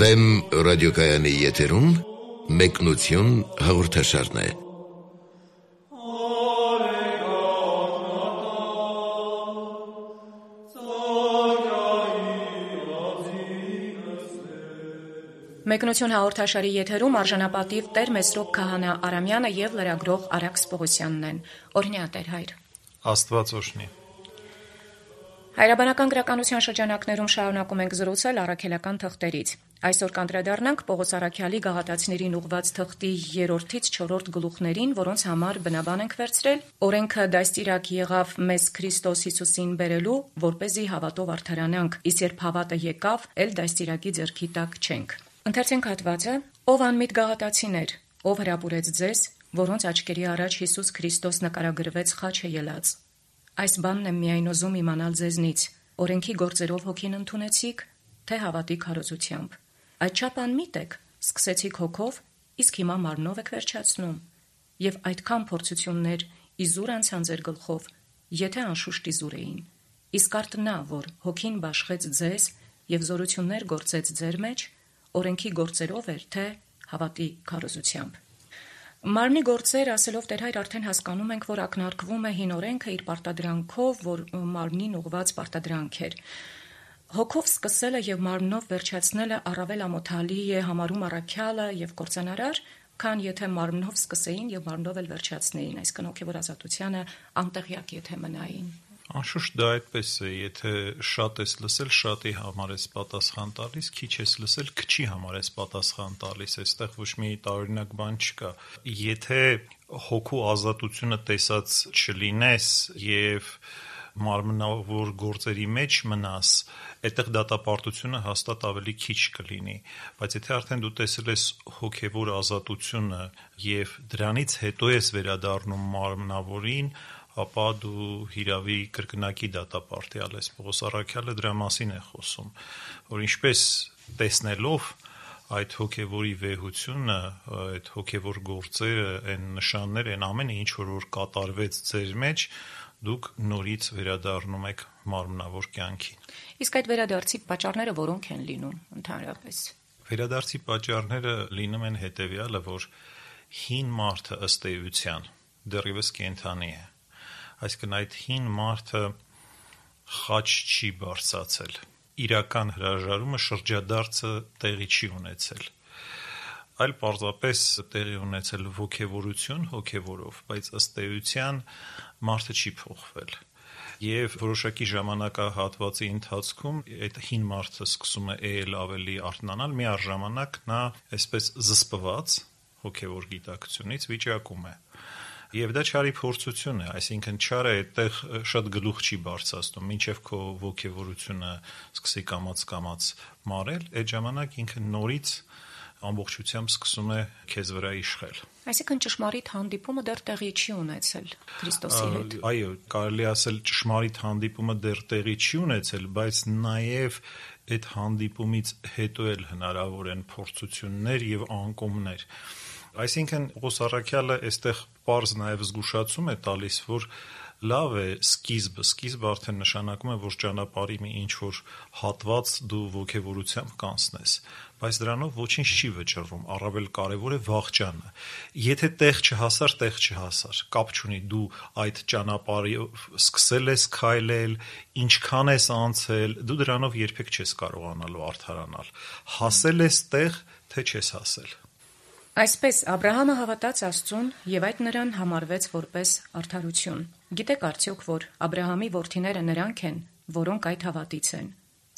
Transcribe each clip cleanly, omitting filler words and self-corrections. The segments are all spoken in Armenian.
Վեմ ռադիոկայանի եթերում մեկնություն հաղորդաշարն է։ Մեկնություն հաղորդաշարի եթերում արժանապատիվ Տեր Մեսրոպ Քահանա Արամյանը եւ լրագրող Արաքս Պողոսյանն են։ Օրհնյա Տեր հայր։ Աստված օրհնի։ Հայրաբանական գրականության շրջանակներում շարունակում ենք զրուցել առաքելական թղթերից։ Այսօր կանդրադառնանք Պողոս Առաքյալի գաղատացիներին ուղված թղթի 3-ից 4 գլուխներին, որոնց համար բնաբան ենք վերցրել օրենքը դաստիարակ եղավ մեզ Քրիստոս Հիսուսին բերելու, որպեսզի հավատով արդարանանք, իսկ երբ հավատը եկավ, ել դաստիարակի ձեռքի տակ չենք։ Ընթերցենք հատվածը. Ով անմիտ գաղատացիներ, ով հրապուրեց ձեզ, որոնց աչքերի առաջ Հիսուս Քրիստոս նկարագրվեց խաչը ելած։ Այս բանն եմ միայն ուզում իմանալ ձեզնից, օրենքի գործերով հոգին ընդունեցիք, թե հավատի քարոզությամբ։ Այդչափ անմիտ եք, սկսեցիք հոգով, իսկ հիմա մարմնով եք վերջացնում։ Եվ այդքան փորձություններ իզուր անցան ձեր գլխով, եթե անշուշտ իզուր էին։ Իսկ արդ նա, որ հոգին բաշխեց ձեզ եւ զորություններ գործեց ձեր մեջ, օրենքի գործերով էր, թե հավատի քարոզությամբ։ Մարմնի գործեր ասելով Տեր հայր արդեն հասկանում ենք, որ ակնարկվում է հին օրենքը իր պարտադրանքով, որ մարմնին ուղված պարտադրանք էր։ Հոգով սկսելը եւ մարմնով վերջացնելը առավել ամոթալի է համարում առաքյալը եւ կործանարար, քան եթե մարմնով սկսեին եւ մարմնով էլ վերջացնեին, այսինքն հոգեվոր ազատությանը անտեղյակ եթե մնային։ Անշուշտ դա այդպես է, եթե շատ ես լսել, շատի համար ես պատասխան տալիս, քիչ ես լսել, քչի համար ես պատասխան տալիս, այստեղ ոչ մի տարօրինակ բան չկա։ Եթե հոգու ազատությունը տեսած չլինես եւ մարմնավոր գործերի մեջ մնաս, այդտեղ դատապարտությունը հաստատ ավելի քիչ կլինի, բայց եթե արդեն դու տեսել ես հոգեվոր ազատությունը եւ դրանից հետո ես վերադառնում մարմնավորին, ապա դու հիրավի կրկնակի դատապարտյալ ես։ Պողոս Առաքյալը դրա մասին է խոսում, որ ինչպես տեսնելով այդ հոգևորի վեհությունը, այդ հոգևոր գործերը, այն նշանները, այն ամենը, ինչ որ կատարվեց ձեր մեջ, դուք նորից վերադառնում եք մարմնավոր կյանքին։ Իսկ այդ վերադարձի պատճառները որոնք են լինում ընդհանրապես։ Վերադարձի պատճառները լինում են հետևյալը, որ հին մարդը ըստ էության դեռևս կենդանի է։ Այսինքն այդ հին մարդը խաչ չի բարձացել, իրական հրաժարումը շրջադարձը տեղի չի ունեցել, այլ պարզապես տեղի ունեցել ոգևորություն հոգևորով, բայց ըստ էության մարդը չի փոխվել։ Եվ որոշակի ժամանակահատվածի ընթացքում այդ հին մարդը սկսում է ել ավելի արթնանալ, միառժամանակ նա այսպես զսպված հոգևոր գիտակցությունից վիճակում է։ Եվ դա չարի փորձություն է, այսինքն չարը այդտեղ շատ գլուխ չի բարձրացնում, մինչև քո ոգևորությունը սկսի կամաց մարել, այդ ժամանակ ինքը նորից ամբողջությամբ սկսում է քեզ վրա իշխել։ Այսինքն ճշմարիտ հանդիպումը դեռ տեղի չի ունեցել Քրիստոսի հետ։ Այո, կարելի ասել ճշմարիտ հանդիպումը դեռ տեղի չի ունեցել, բայց նաև այդ հանդիպումից հետո էլ հնարավոր են փորձություններ եւ անկումներ։ Այսինքն Պողոս Առաքյալը այստեղ պարզ նաև զգուշացում է տալիս, որ լավ է սկիզբը արդեն նշանակում է, որ ճանապարհի մի ինչ-որ հատված դու ոգևորությամբ կանցնես, բայց դրանով ոչինչ չի վճռվում, առավել կարևոր է վախճանը։ Եթե տեղ չհասար, կապ չունի դու այդ ճանապարհի սկսել ես քայլել, ինչքան ես անցել, դու դրանով երբեք չես կարողանալու արդարանալ։ Հասել ես տեղ, թե չես հասել։ Այսպես Աբրահամը հավատաց Աստծուն եւ այդ նրան համարվեց որպես արդարություն։ Գիտեք արդյոք, որ Աբրահամի որդիները նրանք են, որոնք այդ հավատից են։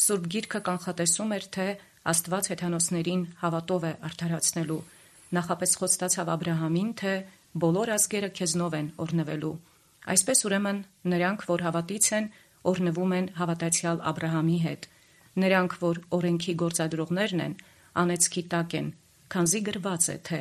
Սուրբ Գիրքը կանխատեսում էր, թե Աստված հեթանոսներին հավատով է արդարացնելու։ Նախապես խոստացավ Աբրահամին, թե բոլոր ազգերը քեզնով են օրհնվելու։ Այսպես ուրեմն նրանք, որ հավատից են, օրհնվում են հավատացյալ Աբրահամի հետ։ Նրանք, որ օրենքի գործադրողներն են, անեծքի տակ են, քանզի գրված է, թե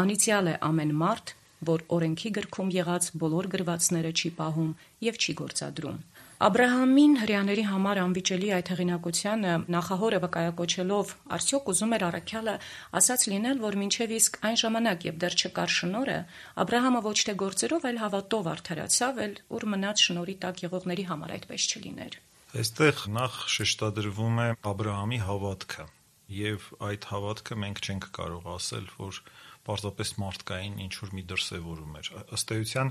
անիծյալ է ամեն մարդ, որ օրենքի գրքում եղած բոլոր գրվածները չի պահում եւ չի գործադրում։ Աբրահամին հրեաների համար անվիճելի այդ հեղինակությանը նախահորը վկայակոչելով արդյոք ուզում էր առաքյալը ասած լինել, որ մինչև իսկ այն ժամանակ եւ դեռ չկար շնորհը, Աբրահամը ոչ թե գործերով, այլ հավատով արդարացավ, էլ ուր մնաց շնորհի տակ եղողների համար այդպես չլիներ։ Այստեղ նախ շեշտադրվում է Աբրահամի հավատքը եւ այդ հավատքը մենք չենք կարող ասել, որ պարզապես մարդկային ինչ-որ մի դրսևորում էր։ Ըստ էության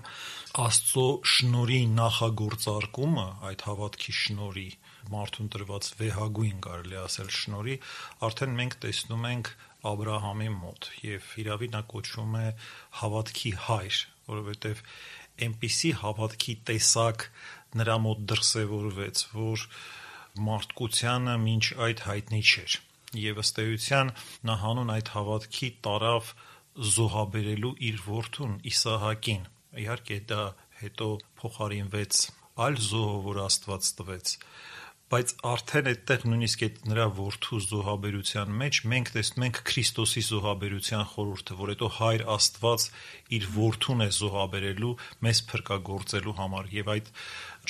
Աստծո շնորհի նախագործարկումը, այդ հավատքի շնորհի, մարդուն տրված վեհագույն կարելի ասել շնորհի, արդեն մենք տեսնում ենք Աբրահամի մոտ, եւ իրավի նա կոչվում է հավատքի հայր, որովհետեւ այնպիսի հավատքի տեսակ նրա մոտ դրսևորվեց, որ մարդկությանը մինչ այդ հայտնի չէր, եւ ըստ էության նա հանուն այդ հավատքի տարավ զոհաբերելու իր որդուն Իսահակին։ Իհարկե դա հետո փոխարինվեց այլ զոհով, որ Աստված տվեց, բայց արդեն այդտեղ նույնիսկ այդ նրա որդու զոհաբերության մեջ մենք տեսնում ենք Քրիստոսի զոհաբերության խորհուրդը, որ հետո Հայր Աստված իր որդուն է զոհաբերելու մեզ փրկagorցելու համար, եւ այդ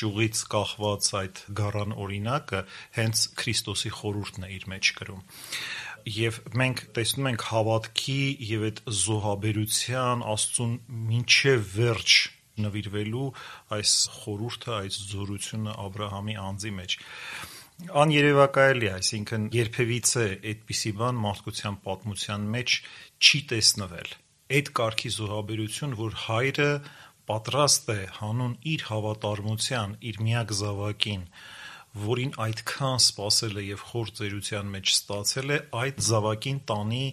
ճյուղից կախված այդ գառան օրինակը հենց Քրիստոսի խորհուրդն է իր մեջ կրում։ Եվ մենք տեսնում ենք հավատքի եւ այդ զոհաբերության Աստծուն մինչև վերջ նվիրվելու այս խորհուրդը, այս զորությունը Աբրահամի անձի մեջ աներևակայելի է, այսինքն երբևիցե այդպիսի բան մարդկության պատմության մեջ չի տեսնվել։ Այդ կարգի զոհաբերություն, որ հայրը պատրաստ է հանուն իր հավատարմության, իր միակ զավակին, որին այդքան սпасել է եւ խոր ծերության մեջ ստացել է, այդ զավակին տանի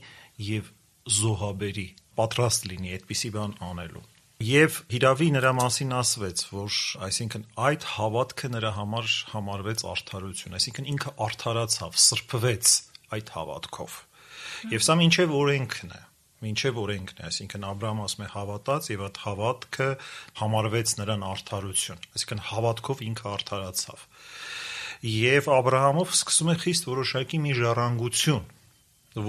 եւ զոհաբերի, պատրաստ լինի այդպիսի բան անելու։ Եվ հիրավի նրա մասին ասվեց, որ այսինքն այդ հավատքը նրա համար համարվեց արդարություն, այսինքն ինքը արդարացավ, սրբվեց այդ հավատքով։ Եվ սա մինչև օրենքն է, այսինքն Աբրահամը ասում է հավատաց եւ այդ հավատքը համարվեց նրան արդարություն, այսինքն հավատքով ինքը արդարացավ։ Եվ Աբրահամով սկսում է խիստ որոշակի մի ժառանգություն,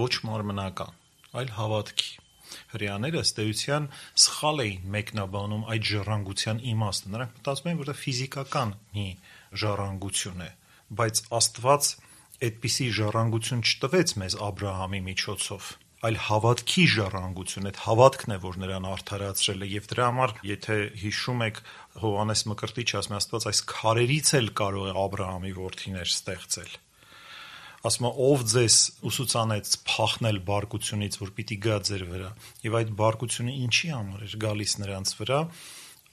ոչ մարմնական, այլ հավատքի։ Հրեաները ըստ էության սխալ էին մեկնաբանում այդ ժառանգության իմաստը։ Նրանք մտածում էին, որ դա ֆիզիկական մի ժառանգություն է, բայց Աստված այդպիսի ժառանգություն չտվեց մեզ Աբրահամի միջոցով, այլ հավատքի ժառանգություն, այդ հավատքն է, որ նրան արդարացրել է, եւ դրա համար, եթե հիշում եք, Հովհաննես Մկրտիչը ասում է, Աստված այս քարերից էլ կարող է Աբրահամի որդիներ ստեղծել։ Ասում է, ով ձեզ ուսուցանեց փախնել բարկությունից, որ պիտի գա ձեր վրա, եւ այդ բարկությունը ինչի համար էր գալիս նրանց վրա,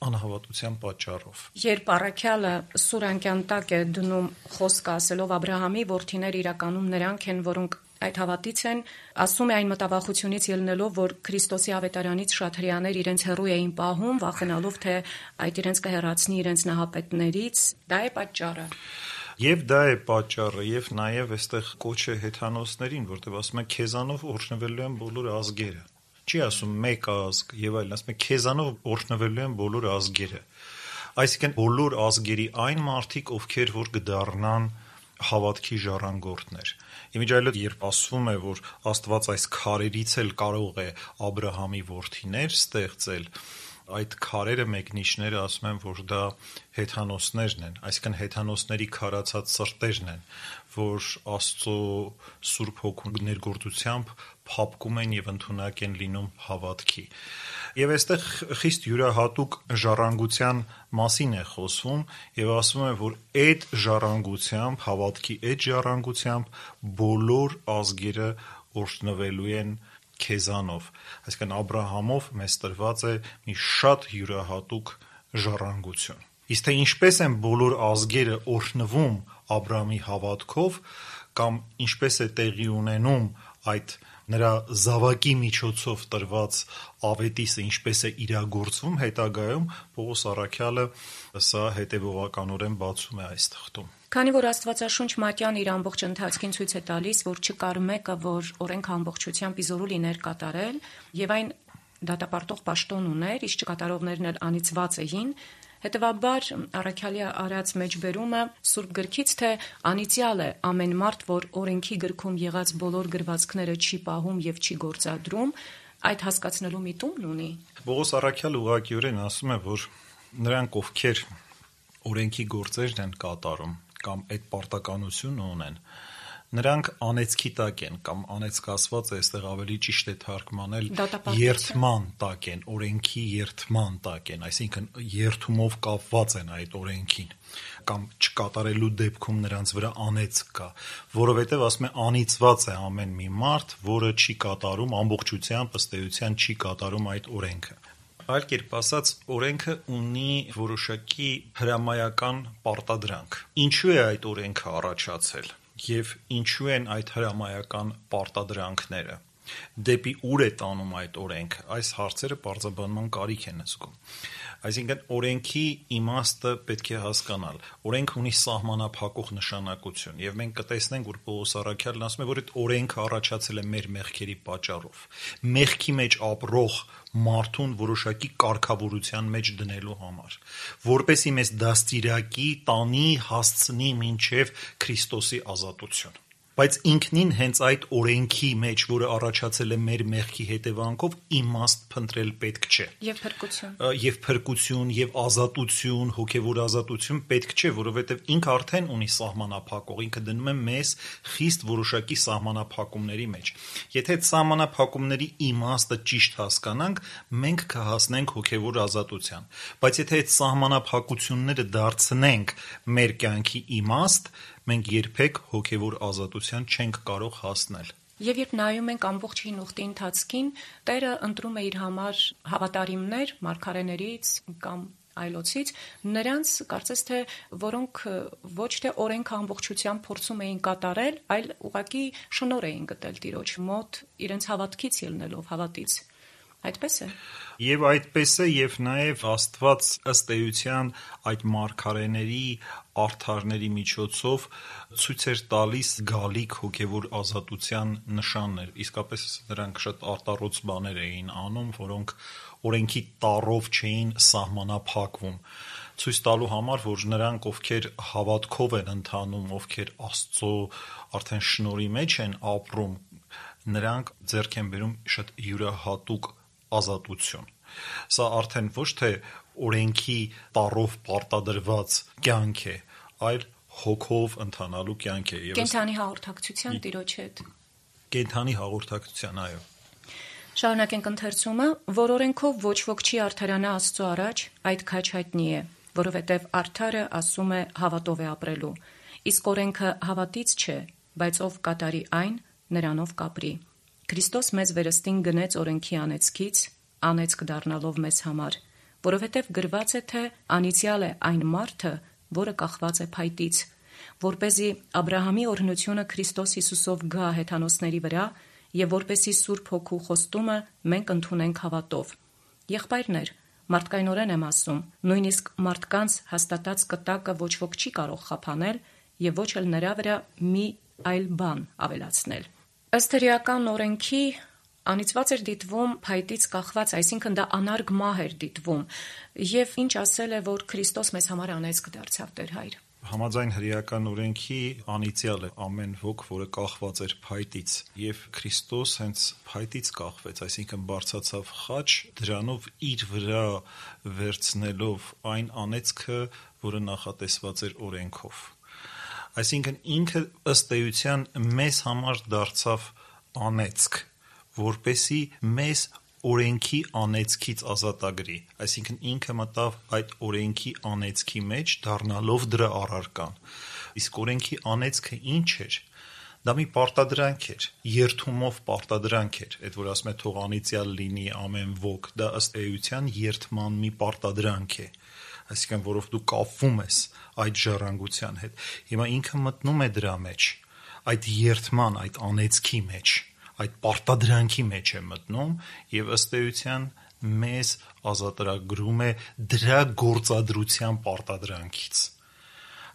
անհավատության պատճառով։ Երբ առաքյալը սուր անկյան տակ է դնում խոսքը ասելով Աբրահամի որդիներ իրականում նրանք են, որոնք այդ հավատից են, ասում է այն մտավախությունից ելնելով, որ Քրիստոսի ավետարանից շատ հրեաներ իրենց հեռու էին պահում, վախենալով, թե այդ իրենց կհեռացնի իրենց նահապետներից, դա է պատճառը։ Եվ դա է պատճառը, եւ նաեւ այստեղ կոչ է հեթանոսներին, որտեղ ասում է քեզանով օրհնվելու են բոլոր ազգերը։ Չի ասում մեկ ազգ եւ այլն, ասում է քեզանով օրհնվելու են բոլոր ազգերը։ Այսինքն բոլոր ազգերի այն մարդիկ, ովքեր որ կդառնան հավատքի ժառանգորդներ։ Իմիջիայլոց երբ ասվում է, որ Աստված այս քարերից էլ կարող է Աբրահամի որդիներ ստեղծել, այդ քարերը մեկնիչները ասում են, որ դա հեթանոսներն են, այսինքն հեթանոսների քարացած սրտերն են, որ Աստծո Սուրբ Հոգու ներգործությամբ փափկում են եւ ընդունակ են լինում հավատքի։ Եվ այստեղ խիստ յուրահատուկ ժառանգության մասին է խոսվում եւ ասվում է, որ այդ ժառանգությամբ, հավատքի այդ ժառանգությամբ բոլոր ազգերը օրհնվելու են քեզանով, այսինքն Աբրահամով մեզ տրված է մի շատ յուրահատուկ ժառանգություն։ Իսկ թե ինչպես են բոլոր ազգերը օրհնվում Աբրահամի հավատքով, կամ ինչպես է տեղի ունենում այդ նրա զավակի միջոցով տրված ավետիսը, ինչպես է իրագործվում հետագայում, Պողոս առաքյալը սա հետևողականորեն բացում է այս թղթում։ Քանի որ Աստվածաշունչ մատյան իր ամբողջ ընթացքին ցույց է տալիս, որ չկար մեկը, որ օրենք ամբողջությամբ իզորու լիներ կատարել, եւ այն դատապարտող պաշտոն ուներ, իսկ չկատարողներն էլ անիծված էին, հետեւաբար առաքյալի արած մեջբերումը Սուրբ գրքից, թե անիծյալ է ամեն մարդ, որ օրենքի գրքում եղած բոլոր գրվածքները չի պահում եւ չի գործադրում, այդ հասկացնելու միտումն ունի։ Պողոս առաքյալը ուղղակիորեն ասում է, որ նրանք, ովքեր օրենքի գործերն են կատարում կամ այդ պարտականությունը ունեն, Նրանք անեծքի տակ են կամ անեծկացված է, այստեղ ավելի ճիշտ է թարգմանել Դատապարտության։ երթման տակ են, օրենքի երթման տակ են, այսինքն երթումով կապված են այդ օրենքին կամ չկատարելու դեպքում նրանց վրա անեծք կա, որովհետև ասում է անիծված է ամեն մի մարդ, որը չի կատարում ամբողջությամբ ըստ էության չի կատարում այդ օրենքը։ Այլ կերպ ասած, օրենքը ունի որոշակի հրամայական պարտադրանք։ Ինչու է այդ օրենքը առաջացել եւ ինչու են այդ հրամայական պարտադրանքները։ Դեպի ուր է տանում այդ օրենքը։ Այս հարցերը պարզաբանման կարիք են զգում։ Այսինքն օրենքի իմաստը պետք է հասկանալ։ Օրենք ունի սահմանափակող նշանակություն եւ մենք կտեսնենք, որ Պողոս առաքյալն ասում է, որ այդ օրենքը առաջացել է մեր մեղքերի պատճառով։ Մեղքի մեջ ապրող մարդուն որոշակի կարգավորության մեջ դնելու համար, որպեսզի մեզ դաստիարակի, տանի, հասցնի մինչև Քրիստոսի ազատություն։ Բայց ինքնին հենց այդ օրենքի մեջ, որը առաջացել է մեր մեղքի հետևանքով, իմաստ փնտրել պետք չէ։ Եվ փրկություն։ Եվ փրկություն, եւ ազատություն, հոգեվոր ազատություն պետք չէ, որովհետեւ ինքը արդեն ունի սահմանափակող, ինքը դնում է մեզ խիստ որոշակի սահմանափակումների մեջ։ Եթե այդ սահմանափակումների իմաստը ճիշտ հասկանանք, մենք կհասնենք հոգեվոր ազատության։ Բայց եթե այդ սահմանափակությունները դարձնենք մեր կյանքի իմաստ, մենք երբեք հոգևոր ազատության չենք կարող հասնել։ Եվ երբ նայում ենք ամբողջ հին ուխտի ընթացքին, Տերը ընտրում է իր համար հավատարիմներ, մարգարեներից կամ այլոցից, նրանց կարծես թե որոնք ոչ թե օրենքը ամբողջությամբ փորձում էին կատարել, այլ ուղղակի շնորհ էին գտել Տիրոջ մոտ իրենց հավատքից ելնելով, հավատից։ Այդպես է։ Եվ այդպես է, եւ նաեւ Աստված ըստ էության այդ մարգարեների արդարների միջոցով ցույց էր տալիս գալիք հոգևոր ազատության նշաններ։ Իսկապես նրանք շատ արտառոց բաներ էին անում, որոնք օրենքի տառով չէին սահմանափակվում, ցույց տալու համար, որ նրանք, ովքեր հավատքով են ընթանում, ովքեր Աստծո արդեն շնորհի մեջ են ապրում, նրանք ձեռք են բերում շատ յուրահատուկ ազատություն։ Սա արդեն ոչ թե օրենքի տառով պարտադրված կյանք է, այլ հոգով ընթանալու կյանք է։ Կենդանի հաղորդակցության Տիրոջ հետ։ Կենդանի հաղորդակցության, այո։ Շարունակենք ընթերցումը, որ օրենքով ոչ ոք չի արդարանա Աստծո առաջ, այդ քաջ հայտնի է, որովհետև արդարը ասում է հավատով է ապրելու, իսկ օրենքը հավատից չէ, բայց ով կատարի այն, նրանով կապրի։ Քրիստոս մեզ վերստին գնեց օրենքի անեծքից, անեծք դառնալով մեզ համար, որովհետև գրված է, թե անիծյալ է այն մարդը, որը կախված է փայտից, որպեսզի Աբրահամի օրհնությունը Քրիստոս Հիսուսով գա հեթանոսների վրա եւ որպեսզի Սուրբ Հոգու խոստումը մենք ընդունենք հավատով։ Եղբայրներ, մարդկայնորեն եմ ասում, նույնիսկ մարդկանց հաստատած կտակը ոչ ոք չի կարող խափանել եւ ոչ էլ նրա վրա մի այլ բան ավելացնել։ Ըստ հրեական օրենքի անիծված էր դիտվում փայտից կախված, այսինքն դա անարգ մահ էր դիտվում, եւ ինչ ասել է, որ Քրիստոս մեզ համար անեծք դարձավ Տեր Հայր։ Համաձայն հրեական օրենքի անիծյալ է ամեն ոք, որը կախված էր փայտից, եւ Քրիստոս հենց փայտից կախվեց, այսինքն բարձացավ խաչ, դրանով իր վրա վերցնելով այն անեծքը, որը նախատեսված էր օրենքով։ Այսինքն ինքը ըստ էության մեզ համար դարձավ անեծք, որպեսի մեզ օրենքի անեծքից ազատագրի, այսինքն ինքը մտավ այդ օրենքի անեծքի մեջ, դառնալով դրա առարկան։ Իսկ օրենքի անեծքը ինչ էր։ Դա մի պարտադրանք էր, երթումով պարտադրանք էր, այդ որ ասում է թող անիծյալ լինի ամեն ոք, դա ըստ էության երթման մի պարտադրանք է, այսինքն որով դու կապվում ես այդ ժառանգության հետ։ Հիմա ինքը մտնում է դրա մեջ, այդ երթման, այդ անեծքի մեջ, այդ պարտադրանքի մեջ է մտնում եւ ըստ էության մեզ ազատագրում է դրա գործադրության պարտադրանքից։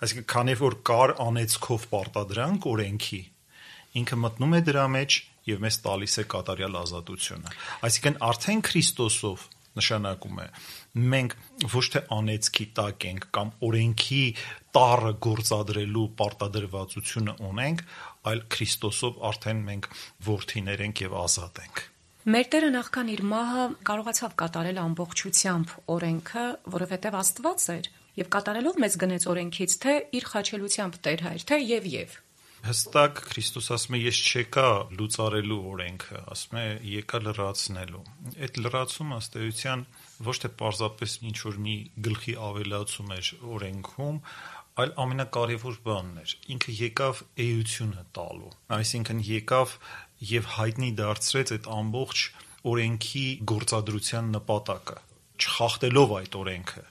Այսինքն քանի որ կար անեծքով պարտադրանք օրենքի, ինքը մտնում է դրա մեջ եւ մեզ տալիս է կատարյալ ազատությունը։ Այսինքն արդեն Քրիստոսով նշանակում է մենք ոչ թե անեծքի տակ ենք կամ օրենքի տառը գործադրելու պարտադրվածությունը ունենք, այլ Քրիստոսով արդեն մենք որդիներ ենք եւ ազատ ենք։ Մեր Տերը նախքան իր մահը կարողացավ կատարել ամբողջությամբ օրենքը, որովհետև Աստված էր եւ կատարելով մեզ գնեց օրենքից, թե իր խաչելությամբ Տեր Հայր, թե եւ։ Հստակ Քրիստոս ասում է, ես չեկա լուծարելու օրենքը, ասում է եկա լրացնելու։ Այդ լրացումը ըստ էության ոչ թե պարզապես ինչ-որ մի գլխի ավելացում էր օրենքում, այլ ամենակարևոր բանն էր։ Ինքը եկավ էությունը տալու, այսինքն եկավ եւ հայտնի դարձրեց այդ ամբողջ օրենքի գործադրության նպատակը, չխախտելով այդ օրենքը։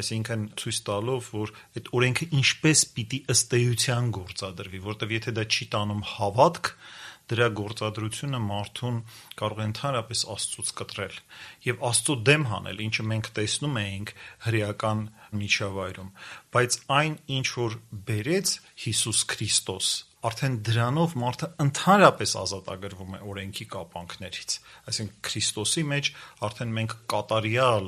Այսինքն ցույց տալով, որ այդ օրենքը ինչպես պիտի ըստ էության գործադրվի, որտեղ եթե դա չի տանում հավատք, դրա գործադրությունը մարդուն կարող է ընդհանրապես Աստծուց կտրել եւ Աստծո դեմ հանել, ինչը մենք տեսնում էինք հրեական միջավայրում, բայց այն, ինչ որ բերեց Հիսուս Քրիստոս, արդեն դրանով մարդը ընդհանրապես ազատագրվում է օրենքի կապանքներից, այսինքն Քրիստոսի մեջ արդեն մենք կատարյալ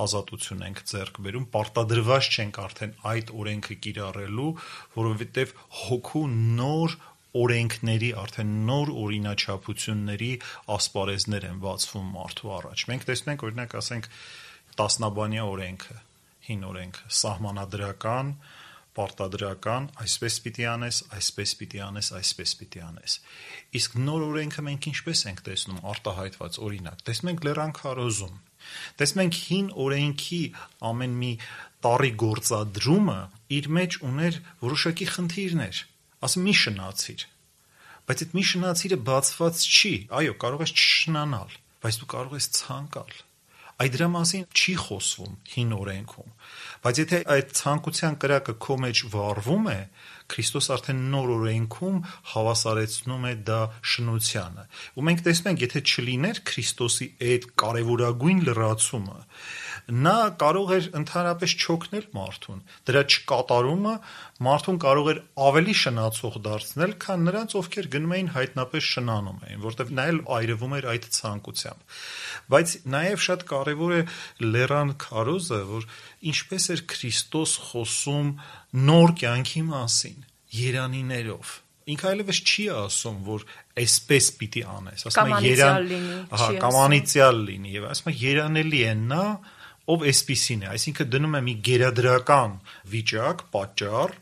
ազատություն ենք ձեռք բերում, պարտադրված չենք արդեն այդ օրենքը կիրառելու, որովհետև հոգու նոր օրենքների, արդեն նոր օրինաչափությունների ասպարեզներ են բացվում մարդու առաջ։ Մենք տեսնում ենք, օրինակ, ասենք, տասնաբանյա օրենքը, հին օրենքը, սահմանադրական, պարտադրական, այսպես պիտի անես, այսպես պիտի անես, այսպես պիտի անես։ Իսկ նոր օրենքը մենք ինչպես ենք տեսնում արտահայտված, օրինակ, տեսնում ենք Լեռան քարոզում, տեսնում ենք հին օրենքի ամեն մի տառի գործադրումը իր մեջ ուներ որոշակի խնդիրներ, ասում մի շնացիր, բայց այդ մի շնացիրը բացված չի, այո, կարող ես չշնանալ, բայց դու կարող ես ցանկալ։ Այդ դրա մասին չի խոսվում հին օրենքում, բայց եթե այդ ցանկության կրակը քո մեջ վառվում է, Քրիստոս արդեն նոր օրենքում հավասարեցնում է դա շնությանը։ Ու մենք տեսնում ենք, եթե չլիներ Քրիստոսի այդ կարևորագույն լրացումը, նա կարող էր ընդհանրապես չօգնել մարդուն։ Դրա չկատարումը մարդուն կարող էր ավելի շնացող դարձնել, քան նրանց, ովքեր գնում էին հայտնապես շնանում էին, որտեղ նա էլ այրվում էր այդ ցանկությամբ։ Բայց նաև շատ կարևոր է Լեռան քարոզը, որ ինչպես էր Քրիստոս խոսում նոր կյանքի մասին, երանիներով։ Ինքը այլևս չի ասում, որ այսպես պիտի անես, ասում է կամ անիծյալ լինի, եւ ասում է երանելի է նա, ով այսպիսին է, այսինքն դնում է մի գերադրական վիճակ, պատճառ,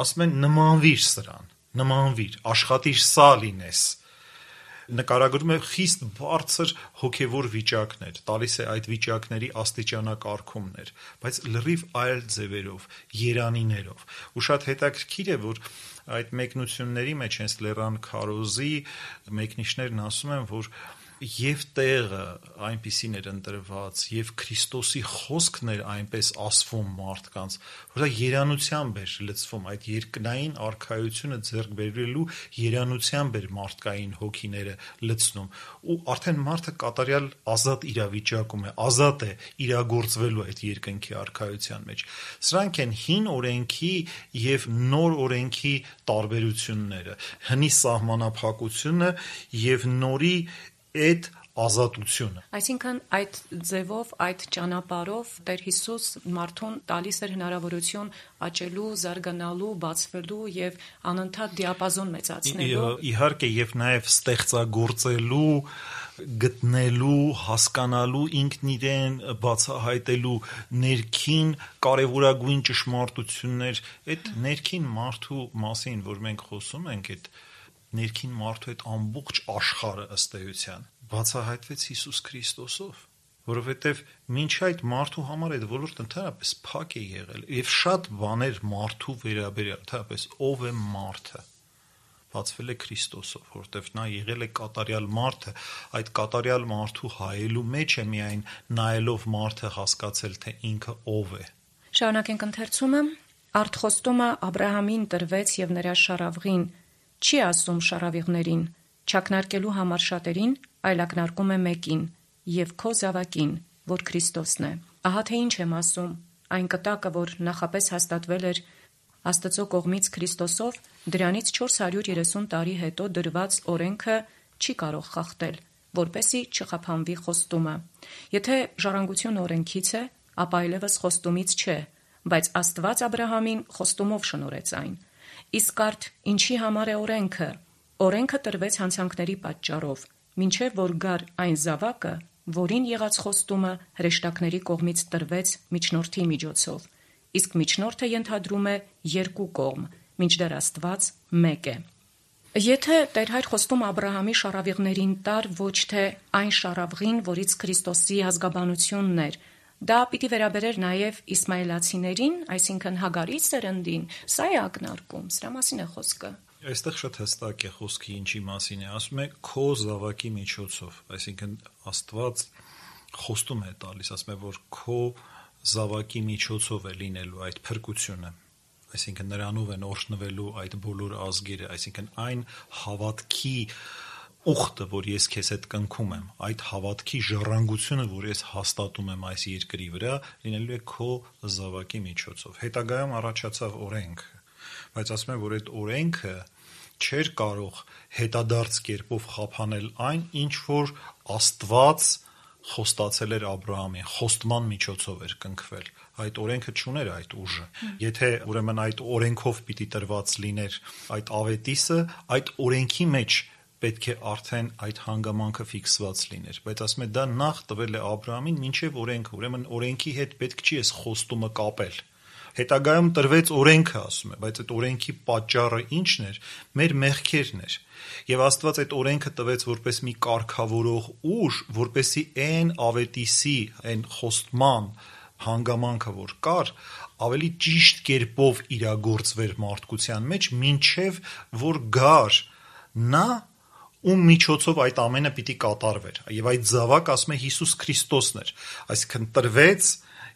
ասում են նմանվիր սրան, նմանվիր, աշխատիր սա լինես, նկարագրում է խիստ բարձր հոգևոր վիճակներ, տալիս է այդ վիճակների աստիճանակարգումներ, բայց լրիվ այլ ձևերով, երանիներով, ու շատ հետաքրքիր է, որ այդ մեկնությունների մեջ հենց Լեռան քարոզի մեկնիչներն ասում են, որ եւ տեղը այնպիսին էր ընտրված, եւ Քրիստոսի խոսքն էր այնպես ասվում մարդկանց, որ դա երանությամբ էր լցվում, այդ երկնային արքայությունը ձեռք բերելու երանությամբ էր մարդկային հոգիները լցնում, ու արդեն մարդը կատարյալ ազատ իրավիճակում է, ազատ է իրագործվելու այդ երկնքի արքայության մեջ։ Սրանք են հին օրենքի եւ նոր օրենքի տարբերությունները, հնի սահմանափակությունը եւ նորի այդ ազատությունը։ Այսինքն այդ ձևով, այդ ճանապարհով Տեր Հիսուս մարդուն տալիս էր հնարավորություն աճելու, զարգանալու, բացվելու եւ անընդհատ դիապազոն մեծացնելու։ Իհարկե, եւ նաեւ ստեղծագործելու, գտնելու, հասկանալու, ինքն իրեն բացահայտելու ներքին կարևորագույն ճշմարտություններ, այդ ներքին մարդու մասին, որ մենք խոսում ենք, այդ ներքին մարդու այդ ամբողջ աշխարհը ըստ էության բացահայտվեց Հիսուս Քրիստոսով, որովհետև մինչ այդ մարդու համար այդ ոլորտը ընդհանրապես փակ է եղել, եւ շատ բաներ մարդու վերաբերյալ, ընդհանրապես ով է մարդը, բացվել է Քրիստոսով, որովհետև նա եղել է կատարյալ մարդը, այդ կատարյալ մարդու հայելու մեջ է միայն նայելով մարդը հասկացել, թե ինքը ով է։ Շարունակենք ընթերցումը, արտխոստումը Աբրահամին տրվեց եւ նրա շարավղին, չի ասում շարավիղներին, չակնարկելու համար շատերին, այլ ակնարկում է մեկին, եւ քո զավակին, որ Քրիստոսն է։ Ահա թե ինչ եմ ասում, այն կտակը, որ նախապես հաստատվել էր Աստծո կողմից Քրիստոսով, դրանից 430 տարի հետո դրված օրենքը չի կարող խախտել, որպեսզի չխափանվի խոստումը։ Եթե ժառանգությունը օրենքից է, ապա այլևս խոստումից չէ, բայց Աստված Աբրահամին խոստումով շնորհեց այն։ Իսկ արդ ինչի համար է օրենքը։ Օրենքը տրվեց հանցանքների պատճառով, մինչև որ գար այն զավակը, որին եղած խոստումը հրեշտակների կողմից տրվեց միջնորդի միջոցով։ Իսկ միջնորդը ենթադրում է երկու կողմ, մինչդեռ Աստված մեկ է։ Եթե Տեր Հայր խոստում Աբրահամի շառավիղներին տար ոչ թե այն շառավղին, որից Քրիստոսի ազգաբանությունն էր, դա պիտի վերաբերեր նաև իսմայելացիներին, այսինքն Հագարի սերնդին, սա է ակնարկում, սրա մասին է խոսքը։ Այստեղ շատ հստակ է խոսքի ինչի մասին է, ասում է քո զավակի միջոցով, այսինքն Աստված խոստում է տալիս, ասում է, որ քո զավակի միջոցով է լինելու այդ փրկությունը, այսինքն նրանով են օրհնվելու այդ բոլոր ազգերը, այսինքն այն հավատքի ուխտը, որ ես քեզ հետ կնքում եմ, այդ հավատքի ժառանգությունը, որ ես հաստատում եմ այս երկրի վրա, լինելու է քո զավակի միջոցով։ Հետագայում առաջացավ օրենքը, բայց ասում եմ, որ այդ օրենքը չէր կարող հետադարձ կերպով խափանել այն, ինչ որ Աստված խոստացել էր Աբրահամին, խոստման միջոցով էր կնքվել։ Այդ օրենքը չուներ այդ ուժը։ Եթե ուրեմն այդ օրենքով պիտի տրված լիներ այդ ավետիսը, այդ օրենքի մեջ պետք է արդեն այդ հանգամանքը ֆիքսված լիներ, բայց ասում է դա նախ տվել է Աբրահամին մինչև օրենքը, ուրեմն օրենքի հետ պետք չի էս խոստումը կապել։ Հետագայում տրվեց օրենքը, ասում է, բայց այդ օրենքի պատճառը ի՞նչն էր, մեր մեղքերն էր։ Եվ Աստված այդ օրենքը տվեց որպես մի կարգավորող ուժ, որպեսզի այն ավետիսի, այն խոստման հանգամանքը, որ կար, ավելի ճիշտ կերպով իրագործվեր մարդկության մեջ, մինչև որ գար նա, ում միջոցով այդ ամենը պիտի կատարվեր։ Եվ այդ զավակ, ասում է, Հիսուս Քրիստոսն էր, այսինքն տրվեց,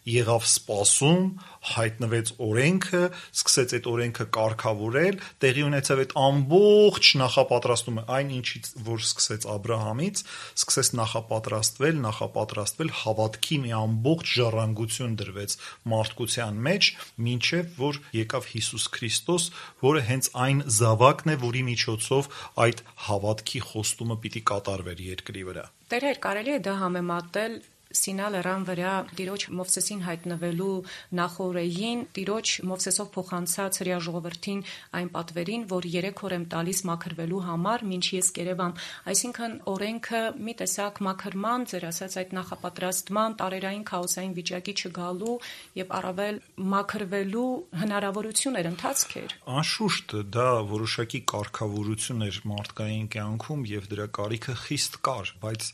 եղավ սպասում, հայտնվեց օրենքը, սկսեց այդ օրենքը կարգավորել, տեղի ունեցավ այդ ամբողջ նախապատրաստումը, այն ինչից որ սկսեց Աբրահամից, սկսեց նախապատրաստվել, հավատքի մի ամբողջ ժառանգություն դրվեց մարդկության մեջ, մինչև որ եկավ Հիսուս Քրիստոս, որը հենց այն զավակն է, որի միջոցով այդ հավատքի խոստումը պիտի կատարվեր երկրի վրա։ Տեր Հայր, կարելի է դա համեմատել Սինա լեռան վրա Տիրոջ Մովսեսին հայտնվելու նախօրեին, Տիրոջ Մովսեսով փոխանցած հրեա ժողովրդին այն պատվերին, որ 3 օր եմ տալիս մաքրվելու համար, մինչ ես կերևամ։ Այսինքն օրենքը մի տեսակ մաքրման, ձեր ասած այդ նախապատրաստման, տարերային քաոսային վիճակի չգալու եւ առավել մաքրվելու հնարավորություն էր, ընթացք էր։ Անշուշտ դա որոշակի կարգավորություն էր մարդկային կյանքում եւ դրա կարիքը խիստ կար, բայց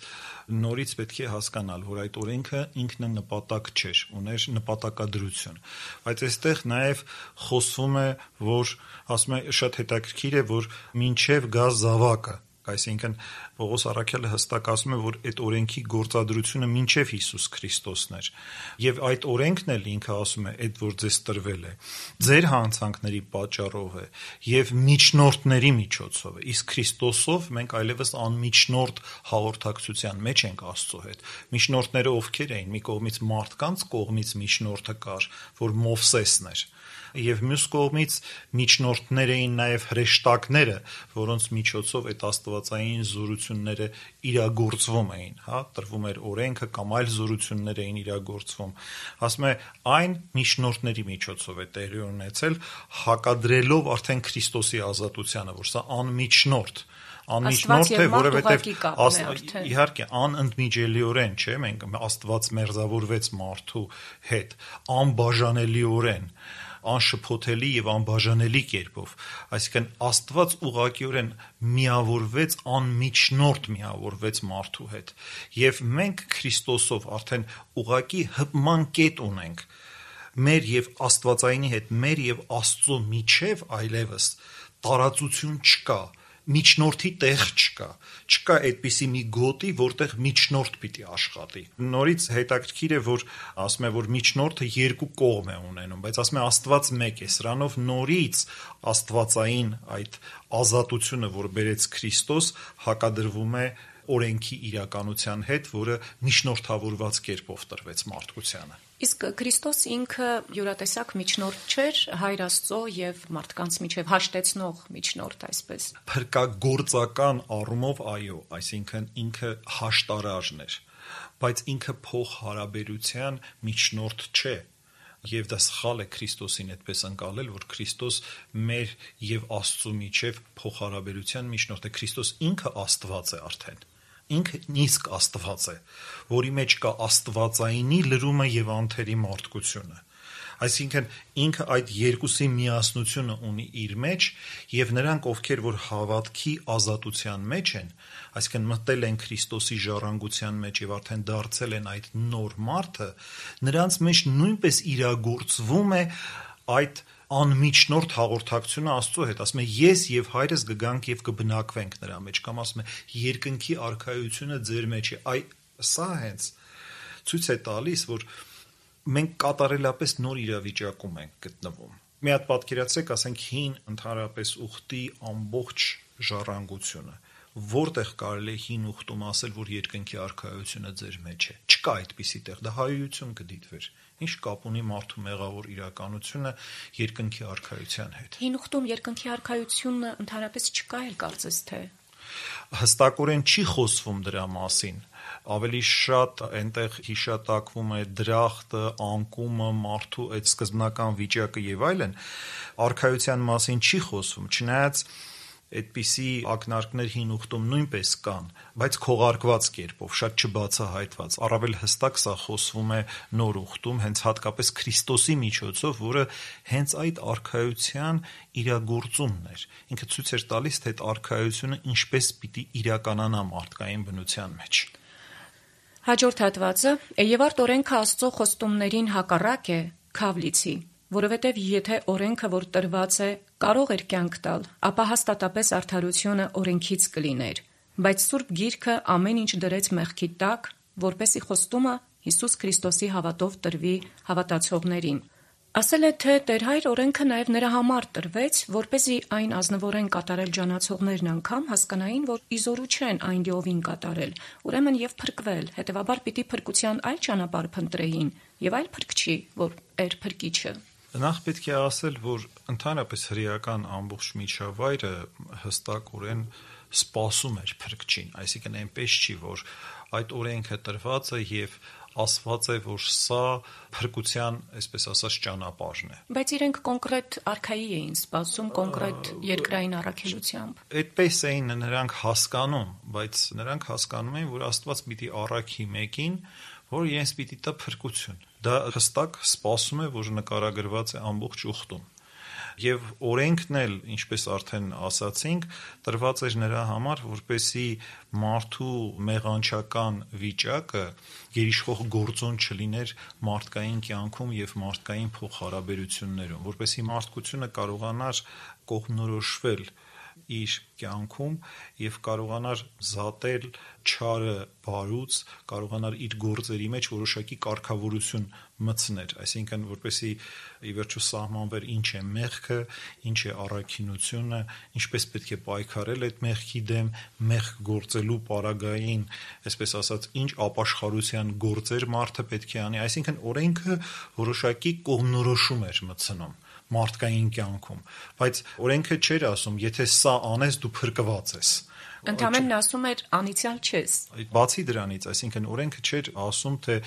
նորից պետք է հասկանալ, որ այդ օրենքը ինքնանպատակ չէր, ուներ նպատակադրություն։ Բայց այստեղ նաև խոսվում է, որ ասում է շատ հետաքրքիր է, որ մինչև գա զավակը, այսինքն Պողոս առաքյալը հստակ ասում է, որ այդ օրենքի գործադրությունը մինչև Հիսուս Քրիստոսն էր։ Եվ այդ օրենքն էլ ինքը ասում է, այդ որ ձեզ տրվել է, ձեր հանցանքների պատճառով է եւ միջնորդների միջոցով է։ Իսկ Քրիստոսով մենք այլևս անմիջնորդ հաղորդակցության մեջ ենք Աստծո հետ։ Միջնորդները ովքեր էին։ Մի կողմից մարդկանց կողմից միջնորդը կար, որ Մովսեսն էր, եւ մյուս կողմից միջնորդներ էին նաև հրեշտակները, որոնց միջոցով այդ աստվածային զորությունները իրագործվում էին, տրվում էր օրենքը կամ այլ զորություններ էին իրագործվում։ Ասում է, այն միջնորդների միջոցով է տեղի ունեցել, հակադրելով արդեն Քրիստոսի ազատությանը, որ սա անմիջնորդ անմիջնորդ է, որովհետև իհարկե անընդմիջելիորեն, չէ, մենք Աստված մերձավորվեց մարդու հետ, անբաժանելիորեն, անշփոթելի եւ անբաժանելի կերպով, այսինքն Աստված ուղղակիորեն միավորվեց, անմիջնորդ միավորվեց մարդու հետ, եւ մենք Քրիստոսով արդեն ուղղակի հպման կետ ունենք մեր եւ Աստվածայինի հետ, մեր եւ Աստծո միջև այլևս տարածություն չկա, միջնորդի տեղ չկա այդպիսի մի գոտի, որտեղ միջնորդ պիտի աշխատի։ Նորից հետաքրքիր է, որ ասում է, որ միջնորդը երկու կողմ է ունենում, բայց ասում է Աստված մեկ է, սրանով նորից աստվածային այդ ազատությունը, որ բերեց Քրիստոս, հակադրվում է օրենքի իրականության հետ, որը միջնորդավորված կերպով տրվեց մարդկությանը։ Իսկ Քրիստոս ինքը յուրատեսակ միջնորդ չէր Հայր Աստծո եւ մարդկանց միջև հաշտեցնող միջնորդ, այսպես։ Փրկագործական առումով այո, այսինքն ինքը հաշտարարն էր, բայց ինքը փոխհարաբերության միջնորդ չէ։ Եվ դա սխալ է Քրիստոսին այդպես ընկալել, որ Քրիստոս մեր եւ Աստծո միջև փոխհարաբերության միջնորդ է։ Քրիստոս ինքը Աստված է արդեն։ Ինքը իսկ Աստված է, որի մեջ կա աստվածայինի լրումը եւ անթերի մարդկությունը։ Այսինքն ինքը այդ երկուսի միասնությունը ունի իր մեջ, եւ նրանք, ովքեր որ հավատքի ազատության մեջ են, այսինքն մտել են Քրիստոսի ժառանգության մեջ եւ արդեն դարձել են այդ նոր մարդը, նրանց մեջ նույնպես իրագործվում է այդ անմիջնորդ հաղորդակցությունը Աստծո հետ, ասում է ես եւ հայրս կգանք եւ կբնակվենք նրա մեջ, կամ ասում է երկնքի արքայությունը ձեր մեջ է, սա հենց ցույց է տալիս, որ մենք կատարելապես նոր իրավիճակում ենք գտնվում։ Մի հատ պատկերացրեք, ասենք հին ընդհանրապես ուխտի ամբողջ ժառանգությունը, որտեղ կարելի է հին ուխտում ասել, որ երկնքի արքայությունը ձեր մեջ է, չկա այդպիսի տեղ, դա հայություն կդիտվեր, ինչ կապ ունի մարդու մեղավոր իրականությունը երկնքի արքայության հետ։ Հին ուխտում երկնքի արքայությունը ընդհանրապես չկա էլ կարծես թե։ Հստակորեն չի խոսվում դրա մասին, ավելի շատ այնտեղ հիշատակվում է դրախտը, անկումը, մարդու այդ սկզբնական վիճակը եւ այլն, արքայության մասին չի խոսվում, չնայած այդպիսի ակնարկներ հին ուխտում նույնպես կան, բայց քողարկված կերպով, շատ չբացահայտված, առավել հստակ սա խոսվում է նոր ուխտում, հենց հատկապես Քրիստոսի միջոցով, որը հենց այդ արքայության իրագործումն էր, ինքը ցույց էր տալիս, թե այդ արքայությունը ինչպես պիտի իրականանա մարդկային բնության մեջ։ Հաջորդ հատվածը, եւ արդ օրենքը Աստծո խոստումներին հակառակ է, քավլիցի, որովհետև եթե օրենքը, որ տրված է, կարող էր կյանք տալ, ապա հաստատապես արդարությունը օրենքից կլիներ, բայց Սուրբ Գիրքը ամեն ինչ դրեց մեղքի տակ, որպեսի խոստումը Հիսուս Քրիստոսի հավատով տրվի հավատացողներին։ Ասել է, թե Տեր Հայր օրենքը նաև նրա համար տրվեց, որպեսզի այն ազնվորեն կատարել ջանացողներն անգամ հասկանային, որ իզորու չեն այն լիովին կատարել, ուրեմն եւ փրկվել, հետեւաբար պիտի փրկության այլ ճանապարհ փնտրեին, եւ այլ փրկչի, որ էր փրկիչը։ Նախ պետք է ասել, որ ընդհանրապես հրեական ամբողջ միջավայրը հստակորեն սպասում էր փրկչին, այսինքն այնպես չի, որ այդ օրենքը տրված է եւ ասված է, որ սա փրկության, այսպես ասած, ճանապարհն է։ Բայց իրենք կոնկրետ արքայի էին սպասում, կոնկրետ երկրային առաքելությամբ։ Այդպես էին նրանք հասկանում, բայց նրանք հասկանում էին, որ Աստված պիտի առաքի մեկին, որ իրենց պիտի տա փրկություն։ Դա հստակ սպասում է, որ նկարագրված է ամբողջ ուխտում։ Եվ օրենքն էլ, ինչպես արդեն ասացինք, տրված էր նրա համար, որպեսզի մարդու մեղանչական վիճակը գերիշխող գործոն չլիներ մարդկային կյանքում եւ մարդկային փոխհարաբերություններում, որպեսզի մարդկությունը կարողանար կողմնորոշվել իր կյանքում եւ կարողանար զատել չարը բարուց, կարողանար իր գործերի մեջ որոշակի կարգավորություն մտցներ, այսինքն որպեսզի ի վերջո սահմանվեր ինչ է մեղքը, ինչ է առաքինությունը, ինչպես պետք է պայքարել այդ մեղքի դեմ, մեղք գործելու պարագային, այսպես ասած, ինչ ապաշխարության գործեր մարդը պետք է անի, այսինքն օրենքը որոշակի կողմնորոշում էր մտցնում մարդկային կյանքում, բայց օրենքը չէր ասում, եթե սա անես, դու փրկված ես։ Ընդամենն ասում էր անիցիալ չես։ Բացի դրանից, այսինքն օրենքը չէր ասում, թե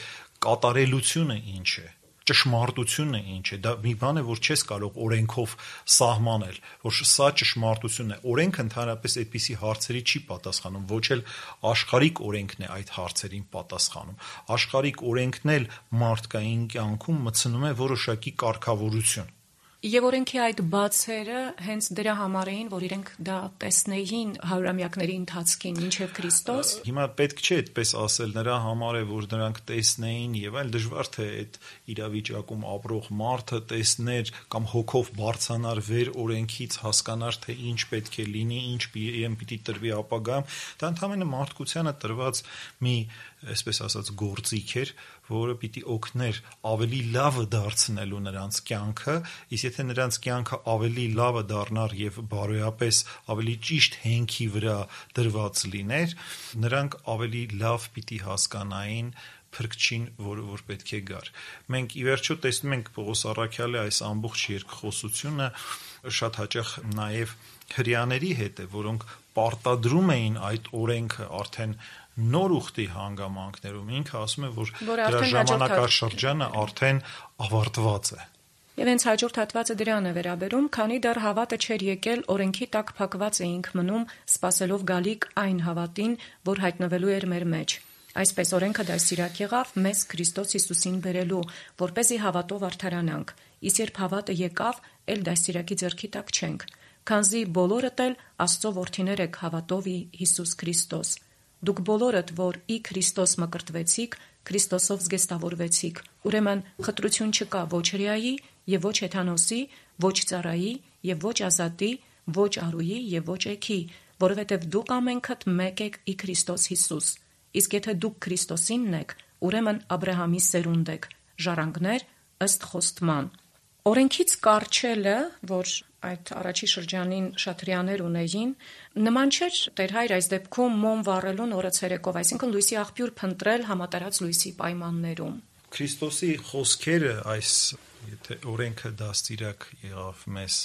կատարելությունը ինչ է, ճշմարտությունը ինչ է, դա մի բան է, որ չես կարող օրենքով սահմանել, որ սա ճշմարտությունն է։ Օրենքը ընդհանրապես այդպիսի հարցերի չի պատասխանում, ոչ էլ աշխարհիկ օրենքն է այդ հարցերին պատասխանում։ Աշխարհիկ օրենքն էլ մարդկային կյանքում մտցնում է որոշակի կարգավորություն։ Եվ օրենքի այդ բացերը հենց դրա համար էին, որ իրենք դա տեսնեին հարյուրամյակների ընթացքին մինչև Քրիստոս։ Հիմա պետք չէ այդպես ասել, նրա համար է, որ նրանք տեսնեին եւ այլ, դժվար թե այդ իրավիճակում ապրող մարդը տեսներ կամ հոգով բարձրանար վեր օրենքից, հասկանար, թե ինչ պետք է լինի, ինչ պիտի տրվի ապագայում, դա ընդհանրապես մարդկությանը տրված մի, այսպես ասած, գործիք էր, որը պիտի օգներ ավելի լավը դարձնելու նրանց կյանքը, իսկ եթե նրանց կյանքը ավելի լավը դառնար եւ բարոյապես ավելի ճիշտ հենքի վրա դրված լիներ, նրանք ավելի լավ պիտի հասկանային փրկչին, որ պետք է գար։ Մենք ի վերջո տեսնում ենք Պողոս առաքյալի այս ամբողջ երկխոսությունը շատ հաճախ նաեւ հրեաների հետ է, որոնք պարտադրում էին այդ օրենքը արդեն նոր ուխտի հանգամանքներում, ինքը ասում է, որ դրա ժամանակաշրջանը արդեն ավարտված է։ Եվ հենց հաջորդ հատվածը դրան է վերաբերում, քանի դեռ հավատը չէր եկել, օրենքի տակ փակված էինք մնում, սպասելով գալիք այն հավատին, որ հայտնվելու էր մեր մեջ։ Այսպես օրենքը դաստիարակ եղավ մեզ Քրիստոս Հիսուսին բերելու, որպեսզի հավատով արդարանանք, իսկ երբ հավատը եկավ, էլ դաստիարակի ձեռքի տակ չենք, քանզի բոլորդ էլ Աստծո որդիներ եք հավատով ի Հիսուս Քրիստոս։ Դուք բոլորդ, որ ի Քրիստոս մկրտվեցիք, Քրիստոսով զգեստավորվեցիք։ Ուրեմն խտրություն չկա ոչ հրեայի եւ ոչ հեթանոսի, ոչ ծառայի եւ ոչ ազատի, ոչ արուի եւ ոչ էքի, որովհետեւ դուք ամենքդ մեկ եք ի Քրիստոս Հիսուս։ Իսկ եթե դուք Քրիստոսինն եք, ուրեմն Աբրահամի սերունդ եք, ժառանգներ ըստ խոստման։ Օրենքից կառչելը, որ այդ առաջի շրջանին շատ հրեաներ ունեին, նման չէր Տեր Հայր այս դեպքում մոմ վառելուն օրը ցերեկով, այսինքն լույսի աղբյուր փնտրել համատարած լույսի պայմաններում։ Քրիստոսի խոսքերը այս, եթե օրենքը դաստիարակ եղավ մեզ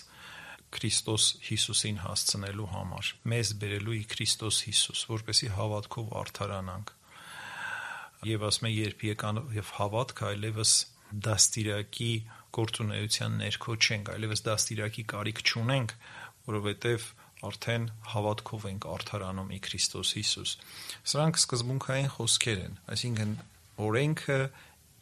Քրիստոս Հիսուսին հասցնելու համար, մեզ բերելու ի Քրիստոս Հիսուս, որպեսզի հավատքով արդարանանք։ Եվ ասում է, երբ եկան եւ հավատք, այլևս դաստիարակի գործունեության ներքո չենք, այլևս դաստիարակի կարիք չունենք, որովհետև արդեն հավատքով ենք արդարանում ի Քրիստոս Հիսուս։ Սրանք սկզբունքային խոսքեր են, այսինքն օրենքը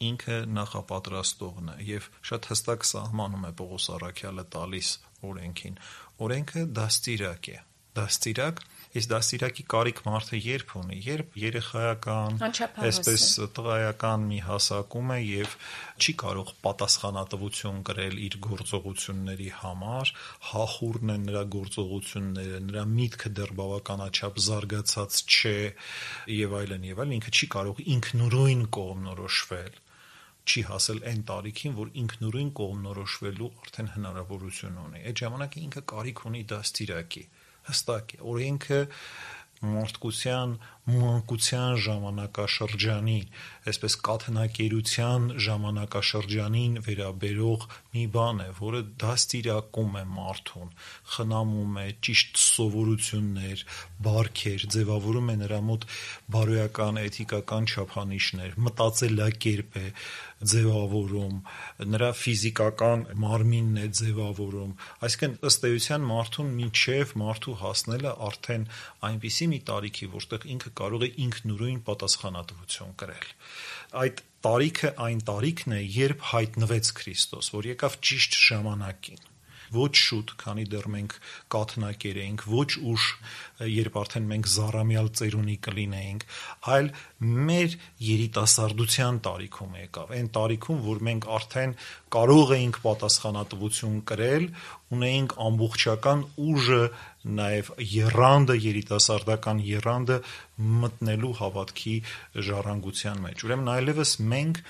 ինքը նախապատրաստողն է եւ շատ հստակ սահմանում է Պողոս առաքյալը տալիս օրենքին։ Օրենքը դաստիարակ է, դաստիարակ, իսկ դաստիարակի կարիք մարդը երբ ունի, երբ երեխայական, այսպես տղայական մի հասակում է եւ չի կարող պատասխանատվություն կրել իր գործողությունների համար, հախուռն են նրա գործողությունները, նրա միտքը դեռ բավականաչափ զարգացած չէ եւ այլն, ինքը չի կարող ինքնուրույն կողմնորոշվել, չի հասել այն տարիքին, որ ինքնուրույն կողմնորոշվելու արդեն հնարավորություն ունի։ Այդ ժամանակ ինքը կարիք ունի դաստիարակի։ Հստակ է, օրենքը մարդկության մանկության ժամանակաշրջանի, այսպես կաթնակերության ժամանակաշրջանին վերաբերող մի բան է, որը դաստիարակում է մարդուն, խնամում է ճիշտ սովորություններ, բարքեր, ձևավորում է նրա մոտ բարոյական, էթիկական չափանիշներ, մտածելակերպ է ձևավորում, նրա ֆիզիկական մարմինն է ձևավորում, այսինքն ըստ էության մարդուն մինչև մարդու հասնելը արդեն այնպիսի մի տարիքի, որտեղ ինքը կարող է ինքնուրույն պատասխանատվություն կրել։ Այդ տարիքը այն տարիքն է, երբ հայտնվեց Քրիստոս, որ եկավ ճիշտ ժամանակին, ոչ շուտ, քանի դեռ մենք կաթնակեր էինք, ոչ ուշ, երբ արդեն մենք զառամյալ ծերունի կլինեինք, այլ մեր երիտասարդության տարիքում եկավ, այն տարիքում, որ մենք արդեն կարող էինք պատասխանատվություն կրել, ունեինք ամբողջական ուժը, նաև եռանդը, երիտասարդական եռանդը մտնելու հավատքի ժառանգության մեջ։ Ուրեմն այլևս մենք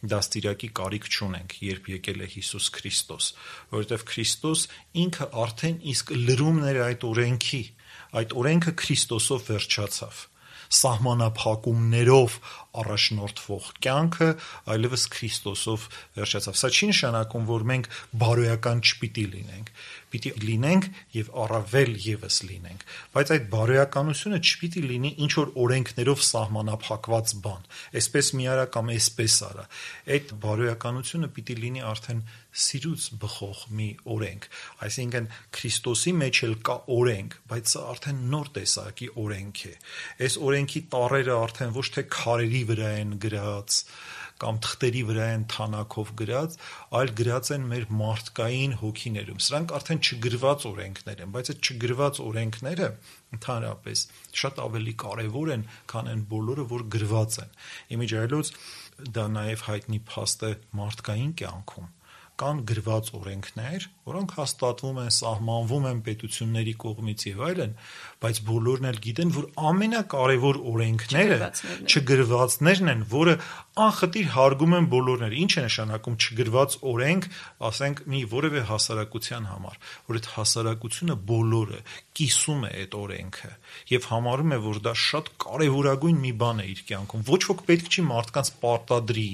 դաստիարակի կարիք չունենք, երբ եկել է Հիսուս Քրիստոս, որովհետև Քրիստոս ինքը արդեն իսկ լրումն էր այդ օրենքը Քրիստոսով վերջացավ։ Սահմանափակումներով առաջնորդվող կյանքը այլևս Քրիստոսով վերջացավ։ Սա չի նշանակում, որ մենք բարոյական չպիտի լինենք, պիտի լինենք եւ առավել եւս լինենք, բայց այդ բարոյականությունը չպիտի լինի ինչ որ օրենքներով սահմանափակված բան, այսպես մի արա կամ այսպես արա։ Այդ բարոյականությունը պիտի լինի արդեն սիրուց բխող մի օրենք, այսինքն Քրիստոսի մեջ էլ կա օրենք, բայց սա արդեն նոր տեսակի օրենք է։ Այս օրենքի տառերը արդեն ոչ թե քարերի վրա են գրած կամ թղթերի վրա են թանակով գրած, այլ գրած են մեր մարդկային հոգիներում։ Սրանք արդեն չգրված օրենքներ են, բայց այդ չգրված օրենքները ընդհանրապես շատ ավելի կարևոր են, քան այն բոլորը, որ գրված են։ Իմիջիայլոց դա նաև հայտնի փաստ է մարդկային կյանքում։ Կան գրված օրենքներ, որոնք հաստատվում են, սահմանվում են պետությունների կողմից եւ այլն, բայց բոլորն էլ գիտեն, որ ամենակարևոր օրենքները չգրվածներն են, որը անխտիր հարգում են բոլորները։ Ինչ է նշանակում չգրված օրենք, ասենք մի որևէ հասարակության համար, որ այդ հասարակությունը բոլորը կիսում է այդ օրենքը եւ համարում է, որ դա շատ կարեւորագույն մի բան է իր կյանքում։ Ոչ ոք պետք չի մարդկանց պարտադրի,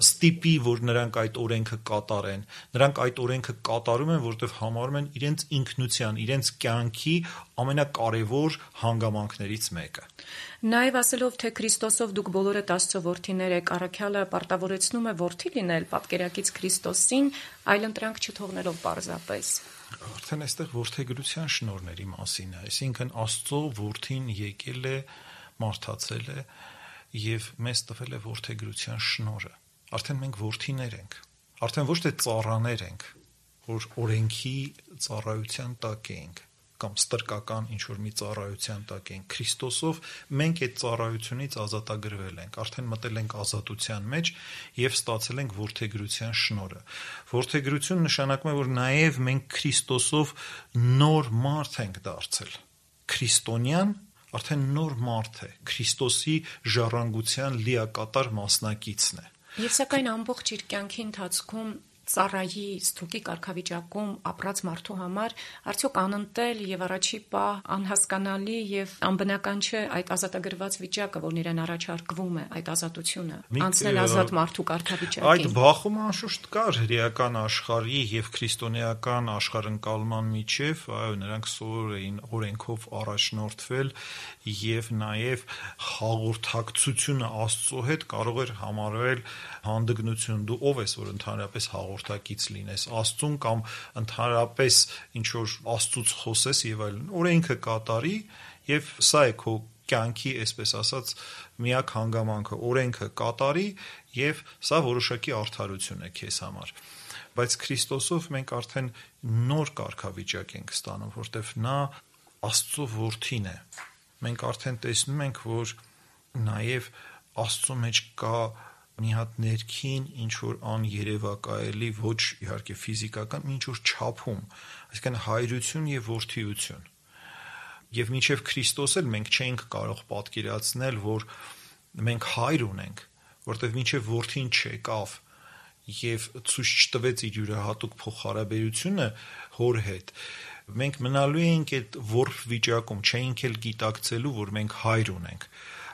ստիպի, որ նրանք այդ օրենքը կատարեն։ Նրանք այդ օրենքը կատարում են, որովհետեւ համարում են իրենց ինքնության, իրենց կյանքի ամենակարևոր հանգամանքներից մեկը։ Նաև ասելով, թե Քրիստոսով դուք բոլորդ Աստծո որդիներ եք, առաքյալը պարտավորեցնում է որդի լինել պատկերակից Քրիստոսին, այլընտրանք չթողնելով պարզապես։ Արդեն այստեղ որդեգրության շնորհների մասին է, այսինքն Աստծո որդին եկել է, մարդացել է եւ մեզ տվել է որդեգրության շնորհը։ Արդեն մենք որդիներ ենք, արդեն ոչ թե ծառաներ ենք, որ օրենքի ծառայության տակ ենք կամ ստրկական ինչ-որ մի ծառայության տակ ենք։ Քրիստոսով մենք այդ ծառայությունից ազատագրվել ենք, արդեն մտել ենք ազատության մեջ եւ ստացել ենք որդեգրության շնորհը։ Որդեգրություն նշանակում է, որ նաեւ մենք Քրիստոսով նոր մարդ ենք դարձել։ Քրիստոնյան արդեն նոր մարդ է, Քրիստոսի ժառանգության լիակատար մասնակիցն է։ Եվ սակայն ամբողջ իր կյանքի ընթացքում ծառայի ստրուկի կարգավիճակում ապրած մարդու համար արդյոք անընտել եւ առաջի պահ անհասկանալի եւ անբնական չէ այդ ազատագրված վիճակը, որն իրեն առաջարկվում է, այդ ազատությունը, անցնել ազատ մարդու կարգավիճակին։ Այդ բախումը անշուշտ կար հրեական աշխարհի եւ քրիստոնեական աշխարհընկալման միջև, այո, նրանք սովոր էին օրենքով առաջնորդվել եւ նաեւ հաղորդակցությունը Աստծո հետ կարող էր համարվել հանդգնություն։ Դու ով ես, որ ընդհանրապես հաղորդակից լինես Աստծուն կամ ընդհանրապես ինչ որ Աստծուց խոսես եւ այլն։ Օրենքը կատարի եւ սա է քո կյանքի, այսպես ասած, միակ հանգամանքը, օրենքը կատարի եւ սա որոշակի արդարություն է քեզ համար։ Բայց Քրիստոսով մենք արդեն նոր կարգավիճակ ենք ստանում, որտեվ նա Աստծո որդին է։ Մենք արդեն տեսնում ենք, որ նաեւ Աստծո մեջ կա մի հատ ներքին ինչ-որ աներևակայելի, ոչ իհարկե ֆիզիկական, ինչ-որ չափում, այսինքն հայրություն եւ որդիություն։ Եվ մինչեւ Քրիստոս էլ մենք չենք կարող պատկերացնել, որ մենք հայր ունենք, որտեվ մինչեւ որդին չեկավ եւ ցույց չտվեց իր յուրահատուկ փոխհարաբերությունը հոր հետ, մենք մնալու ենք այդ որբ վիճակում, չէինք էլ գիտակցելու, որ մենք հայր ունենք։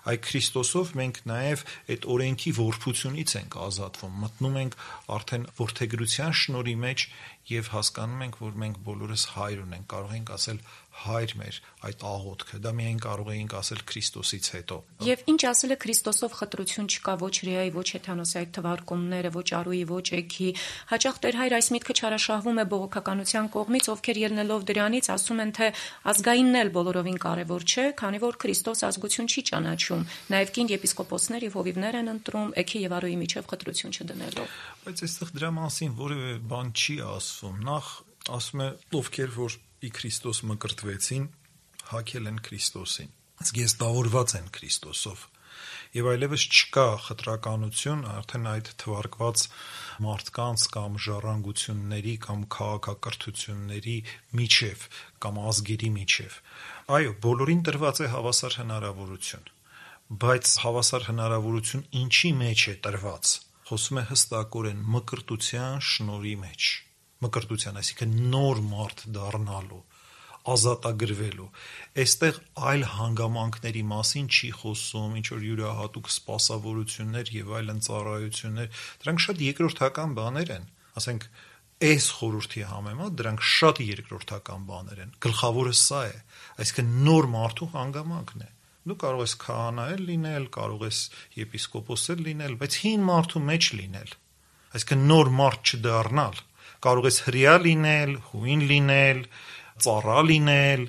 Այդ Քրիստոսով մենք նաև այդ օրենքի որբությունից ենք ազատվում, մտնում ենք արդեն որդեգրության շնորհի մեջ եւ հասկանում ենք, որ մենք բոլորս հայր ունենք, կարող ենք ասել հայր մեր այդ աղոթքը, դա միայն կարող էինք ասել Քրիստոսից հետո։ Եվ ինչ ասել է Քրիստոսով խտրություն չկա ոչ հրեայի, ոչ հեթանոսի այդ թվարկումները, ոչ արուի, ոչ էգի։ Հաճախ Տեր Հայր այս միտքը չարաշահվում է բողոքականության կողմից, ովքեր ելնելով դրանից ասում են, թե ազգայինն էլ բոլորովին կարևոր չէ, քանի որ Քրիստոս ազգություն չի ճանաչում, նաև կին եպիսկոպոսներ եւ հովիվներ են ընտրում էգի եւ արուի միջև խտրություն չդնելով։ Բայց այստեղ դրա մասին որևէ բան չի ասվում։ Նախ ասում է, ովքեր որ ի Քրիստոս մկրտվեցին, հագել են Քրիստոսին, զգեստավորված են Քրիստոսով։ Եվ այլևս չկա խտրականություն արդեն այդ թվարկված մարդկանց կամ ժառանգությունների կամ քաղաքակրթությունների միջև կամ ազգերի միջև։ Այո, բոլորին տրված է հավասար հնարավորություն, բայց հավասար հնարավորություն ինչի մեջ է տրված։ Խոսում է հստակորեն մկրտության շնորհի մեջ։ Մկրտության, այսինքն նոր մարդ դառնալու, ազատագրվելու։ Այստեղ այլ հանգամանքների մասին չի խոսում, ինչ որ յուրահատուկ սպասավորություններ եւ այլն ծառայություններ, դրանք շատ երկրորդական բաներ են։ Ասենք, այս խորհրդի համեմատ դրանք շատ երկրորդական բաներ են։ Գլխավորը սա է, այսինքն նոր մարդու հանգամանքն է։ Դու կարող ես քահանա լինել, կարող ես եպիսկոպոս լինել, բայց հին մարդու մեջ լինել, այսինքն նոր մարդ չդառնալ։ Կարող ես հրեա լինել, հույն լինել, ծառա լինել,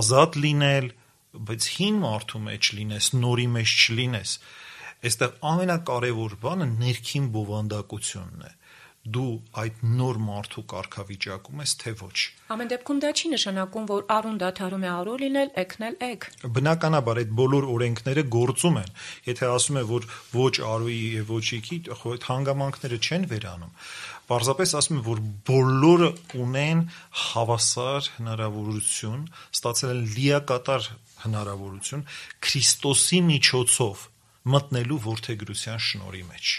ազատ լինել, բայց հին մարդու մեջ լինես, նորի մեջ չլինես։ Այստեղ ամենակարևոր բանը ներքին բովանդակությունն է։ Դու այդ նոր մարդու կարգավիճակում ես, թե ոչ։ Ամեն դեպքում դա չի նշանակում, որ արուն դադարում է արու լինել, էգնել էգ։ Բնականաբար այդ բոլոր օրենքները գործում են։ Եթե ասում է, որ ոչ արուի եւ ոչ էգի, այդ հանգամանքները չեն վերանում։ Պարզապես ասում է, որ բոլորը ունեն հավասար հնարավորություն, ստացել են լիակատար հնարավորություն Քրիստոսի միջոցով մտնելու որդեգրության շնորհի մեջ։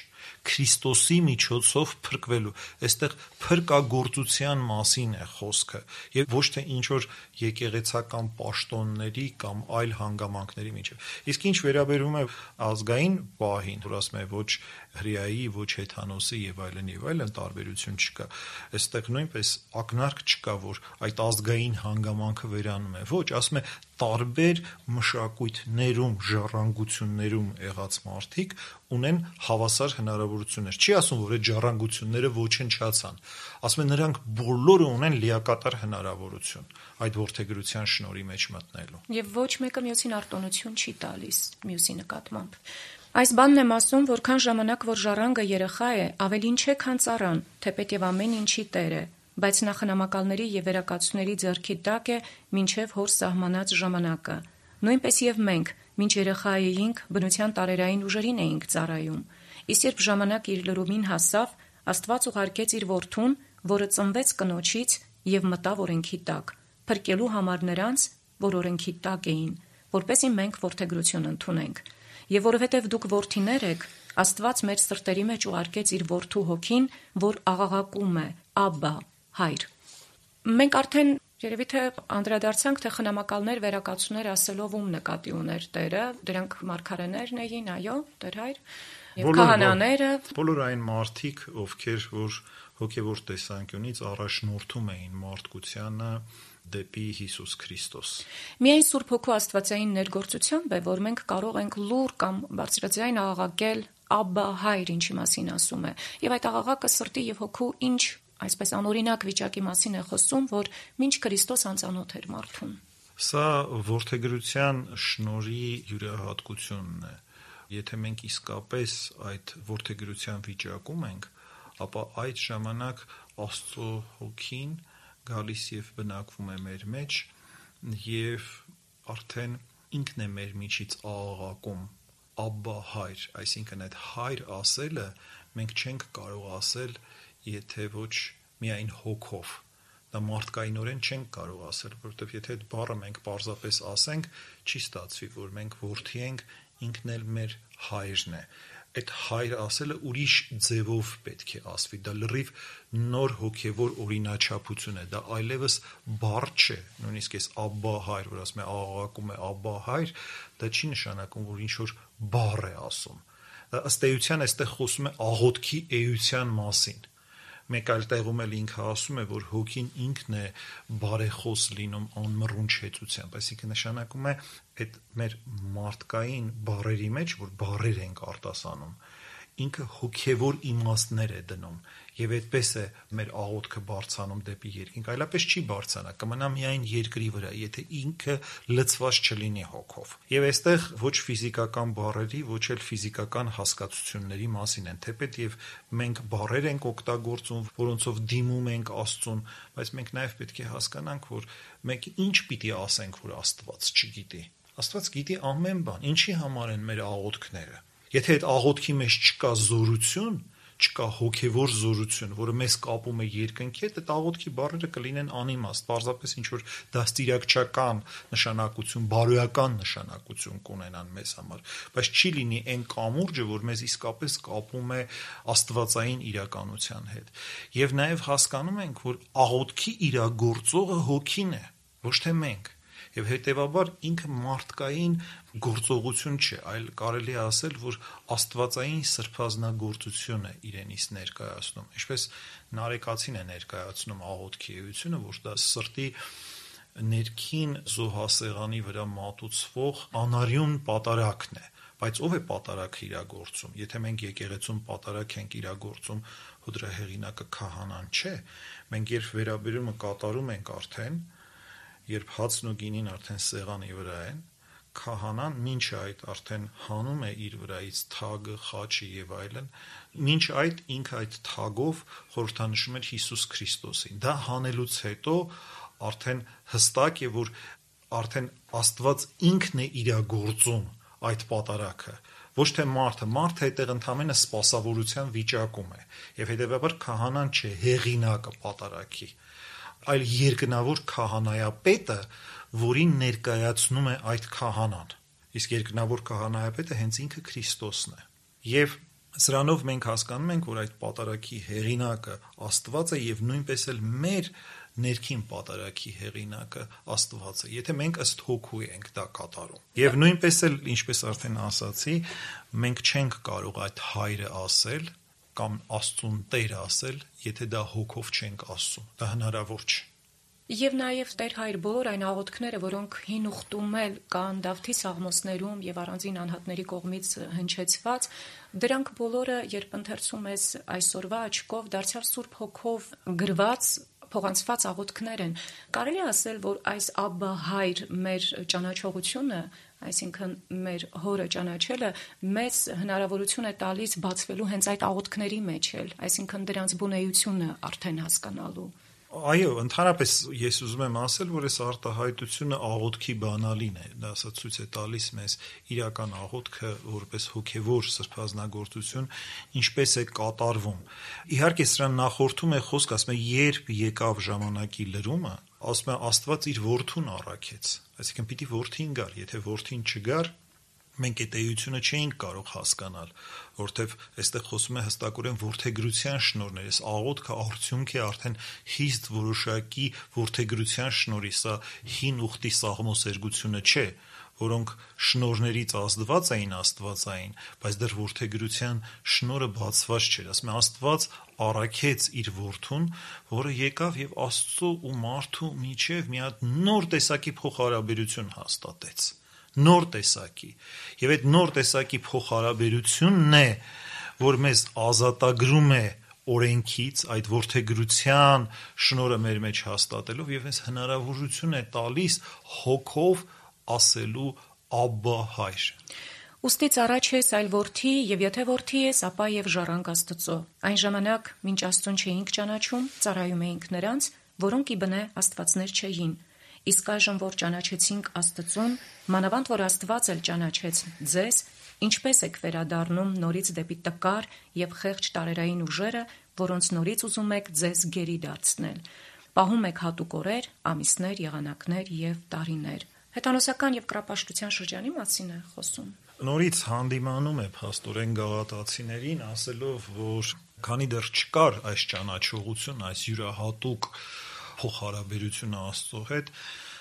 Քրիստոսի միջոցով փրկվելու։ Այստեղ փրկագործության մասին է խոսքը եւ ոչ թե ինչ որ եկեղեցական պաշտոնների կամ այլ հանգամանքների միջև։ Իսկ ինչ վերաբերում է ազգային պահին, որ ասում է ոչ հրեայի, ոչ հեթանոսի եւ այլն տարբերություն չկա։ Այստեղ նույնպես ակնարկ չկա, որ այդ ազգային հանգամանքը վերանում է։ Ոչ, ասում է տարբեր մշակույթներում, ժառանգություններում եղած մարդիկ ունեն հավասար հնարավորություններ։ Չի ասում, որ այդ ժառանգությունները ոչնչացան։ Ասում է նրանք բոլորը ունեն լիակատար հնարավորություն այդ որդեգրության շնորհի մեջ մտնելու։ Եվ ոչ մեկը մյուսին արտոնություն չի տալիս մյուսի նկատմամբ։ Այս բանն եմ ասում, որքան ժամանակ որ ժառանգը երեխա է, ավելին չէ, քան ծառան, թեպետ եւ ամեն ինչի տեր է, բայց նա խնամակալների եւ վերակացուների ձեռքի տակ է մինչեւ հոր սահմանած ժամանակը։ Նույնպես եւ մենք, մինչ երեխա էինք, բնության տարերային ուժերին էինք ծառայում։ Իսկ երբ ժամանակ իր լրումին հասավ, Աստված ուղարկեց իր որդուն, որը ծնվեց կնոջից եւ մտավ օրենքի տակ, փրկելու համար նրանց, որ օրենքի տակ էին, որպեսզի մենք որդեգրություն ընդունենք։ Եվ որովհետև դուք որդիներ եք, Աստված մեր սրտերի մեջ ուղարկեց իր որդու հոգին, որ աղաղակում է. «Աբբա, հայր»։ Մենք արդեն երևի թե անդրադարձանք, թե խնամակալներ, վերակացուներ ասելով ում նկատի ուներ Տերը, դրանք մարգարեներն էին, այո, Տեր հայր, եւ քահանաները, բոլոր այն մարդիկ, ովքեր որ հոգևոր տեսանկյունից առաջնորդում էին մարդկությանը դեպի Հիսուս Քրիստոս։ Միայն Սուրբ Հոգու Աստվածային ներգործությամբ է, որ մենք կարող ենք լուր կամ բարձրաձայն աղաղակել «Աբբա, հայր», ինչի մասին ասում է, եւ այդ աղաղակը սրտի եւ հոգու ինչ, այսպես անօրինակ վիճակի մասին է խոսում, որ մինչ Քրիստոս անծանոթ էր մարդուն։ Սա որդեգրության շնորհի յուրահատկությունն է։ Եթե մենք իսկապես այդ որդեգրության վիճակում ենք, ապա այդ ժամանակ Աստծո հոգին գալիս եւ բնակվում է մեր մեջ եւ արդեն ինքն է մեր միջից աղաղակում «Աբբա, հայր», այսինքն այդ հայր ասելը մենք չենք կարող ասել, եթե ոչ միայն հոգով։ Դա մարդկայինորեն չենք կարող ասել, որովհետև եթե այդ բառը մենք պարզապես ասենք, չի ստացվի, որ մենք որդի ենք, ինքն էլ մեր հայրն է։ Այդ հայր ասելը ուրիշ ձևով պետք է ասվի, դա լրիվ նոր հոգևոր օրինաչափություն է, դա այլևս բառ չէ, նույնիսկ այս «Աբբա, հայր», որ ասում է աղաղակում է «Աբբա, հայր», դա չի նշանակում, որ ինչ-որ բառ է ասում։ Դա ըստ էության այստեղ խոսում է աղոթքի էության մասին։ Մեկ այլ տեղում էլ ինքը ասում է, որ հոգին ինքն է բարեխոս լինում անմռունչ հեծությամբ, այսինքն նշանակում է այդ մեր մարդկային բառերի մեջ, որ բառեր ենք արտասանում, ինքը հոգևոր իմաստներ է դնում եւ այդպես է մեր աղոթքը բարձանում դեպի երկինք, այլապես չի բարձրանա, կմնա միայն երկրի վրա, եթե ինքը լցված չլինի հոգով։ Եվ այստեղ ոչ ֆիզիկական բառերի, ոչ էլ ֆիզիկական հասկացությունների մասին են, թեպետ եւ մենք բառեր ենք օգտագործում, որոնցով դիմում ենք Աստծուն, բայց մենք նաեւ պետք է հասկանանք, որ մենք ինչ պիտի ասենք, որ Աստված չգիտի։ Աստված գիտի ամեն բան, ինչի համար են մեր աղոթքները։ Եթե այդ աղոթքի մեջ չկա զորություն, չկա հոգևոր զորություն, որը մեզ կապում է երկնքի հետ, այդ աղոթքի բառերը կլինեն անիմաստ, պարզապես ինչ-որ դաստիարակչական նշանակություն, բարոյական նշանակություն կունենան մեզ համար, բայց չի լինի այն կամուրջը, որ մեզ իսկապես կապում է աստվածային իրականության հետ։ Եվ նաև հասկանում ենք, որ աղոթքի իրագործողը հոգին է, ոչ թե մենք։ Եվ հետևաբար ինքը մարդկային գործողություն չէ, այլ կարելի է ասել, որ աստվածային սրբազնագործություն է իրենից ներկայացնում, ինչպես Նարեկացին է ներկայացնում աղոթքի էությունը, որ դա սրտի ներքին զոհասեղանի վրա մատուցվող անարյուն պատարագն է, բայց ով է պատարագը իրագործում, եթե մենք եկեղեցում պատարագ ենք իրագործում, ու դրա հեղինակը քահանան չէ, մենք երբ վերաբերումը կատարում ենք արդեն, երբ հացն ու գինին արդեն սեղանի վրա են, քահանան մինչ այդ արդեն հանում է իր վրայից թագը, խաչը եւ այլն, մինչ այդ ինքը այդ թագով խորհրդանշում էր Հիսուս Քրիստոսին։ Դա հանելուց հետո արդեն հստակ է, որ արդեն Աստված ինքն է իրագործում այդ պատարագը, ոչ թե մարդը այդտեղ ընդամենը սպասավորության վիճակում է, եւ հետեւաբար քահանան չէ հեղինակը պատարագի, այլ երկնավոր քահանայապետը, որին ներկայացնում է այդ քահանան, իսկ երկնավոր քահանայապետը հենց ինքը Քրիստոսն է։ Եվ սրանով մենք հասկանում ենք, որ այդ պատարագի հեղինակը Աստված է եւ նույնպես էլ մեր ներքին պատարագի հեղինակը Աստված է, եթե մենք ըստ հոգու ենք դա կատարում։ Եվ նույնպես էլ, ինչպես արդեն ասացի, մենք չենք կարող այդ հայրը ասել կամ Աստծուն Տեր ասել, եթե դա հոգով չենք ասում, դա հնարավոր չէ։ Եվ նաև Տեր հայր բոլոր այն աղոթքները, որոնք հին ուխտում էլ կան Դավթի սաղմոսներում եւ առանձին անհատների կողմից հնչեցված, դրանք բոլորը, երբ ընթերցում ես այսօրվա աչքով, դարձյալ Սուրբ Հոգով գրված փոխանցված աղոթքներ են։ Կարելի է ասել, որ այս Աբբա հայր մեր ճանաչողությունը, այսինքն մեր հորը ճանաչելը մեզ հնարավորություն է տալիս բացվելու հենց այդ աղոթքների մեջ էլ, այսինքն դրանց բունեությունը արդեն հասկանալու։ Այո, ընդհանրապես ես ուզում եմ ասել, որ այս արտահայտությունը աղոթքի բանալին է, դա ցույց է տալիս մեզ իրական աղոթքը որպես հոգևոր սրբազնագործություն ինչպես է կատարվում։ Իհարկե սրան նախորդում է խոսք, ասում է երբ եկավ ժամանակի լրումը, ասում է Աստված իր որդուն առաքեց, այսինքն պիտի որդին գար, եթե որդին չգար, մենք այդ էությունը չէինք կարող հասկանալ, որտեվ այստեղ խոսում է հստակորեն որդեգրության շնորհներ, այս աղոթքը արդյունք է արդեն խիստ որոշակի որդեգրության շնորհի, սա հին ուխտի սաղմոսերգությունը չէ, որոնք շնորհներից ազդված էին աստվածային, բայց դեռ որդեգրության շնորհը բացված չէր, ասում է Աստված առաքեց իր որդուն, որը եկավ եւ Աստծո ու մարդու միջև մի հատ նոր տեսակի փոխհարաբերություն հաստատեց, նոր տեսակի, եւ այդ նոր տեսակի փոխհարաբերությունն է, որ մեզ ազատագրում է օրենքից, այդ որդեգրության շնորհը մեր մեջ հաստատելով եւ այս հնարավորություն է տալիս հոգով ասելու Աբբա հայր։ Ուստի առաջ ես այլ որդի, եւ եթե որդի ես, ապա եւ ժառանգ Աստծո։ Այն ժամանակ, մինչ Աստծուն չէինք ճանաչում, ծառայում էինք նրանց, որոնք ի բնե աստվածներ չէին։ Իսկ այժմ, որ ճանաչեցինք Աստծուն, մանավանդ որ Աստված էլ ճանաչեց ձեզ, ինչպես եք վերադառնում նորից դեպի տկար եւ խեղճ տարերային ուժերը, որոնց նորից ուզում եք ձեզ գերի դարձնել։ Պահում եք հատուկ օրեր, ամիսներ, եղանակներ եւ տարիներ։ Հեթանոսական եւ կրապաշտության շրջանի մասին է խոսում։ Նորից հանդիմանում է փաստորեն գաղատացիներին, ասելով, որ քանի դեռ չկար այս ճանաչողություն, այս յուրահատուկ փոխհարաբերությունը Աստծո հետ,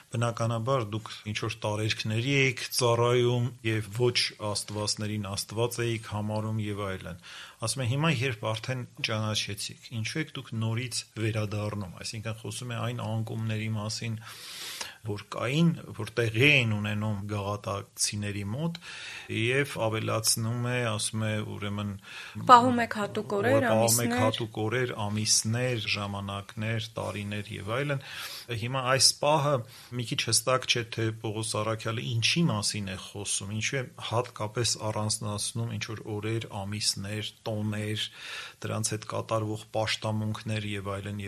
բնականաբար դուք ինչ-որ տարերքների էիք ծառայում եւ ոչ աստվածներին Աստված էիք համարում եւ այլն։ Ասում է հիմա երբ արդեն ճանաչեցիք, ինչու եք դուք նորից վերադառնում, այսինքն խոսում է այն անկումների մասին, որ կային, որ տեղի էին ունենում գաղատացիների մոտ եւ ավելացնում է, ասում է ուրեմն պահում եք հատուկ օրեր, ամիսներ, ժամանակներ, տարիներ եւ այլն։ Հիմա այս պահը մի քիչ հստակ չէ, թե Պողոս առաքյալը ինչի մասին է խոսում, ինչու է հատկապես առանձնացնում ինչ որ օրեր, ամիսներ, տոներ, դրանց հետ կատարվող պաշտամունքներ եւ այլն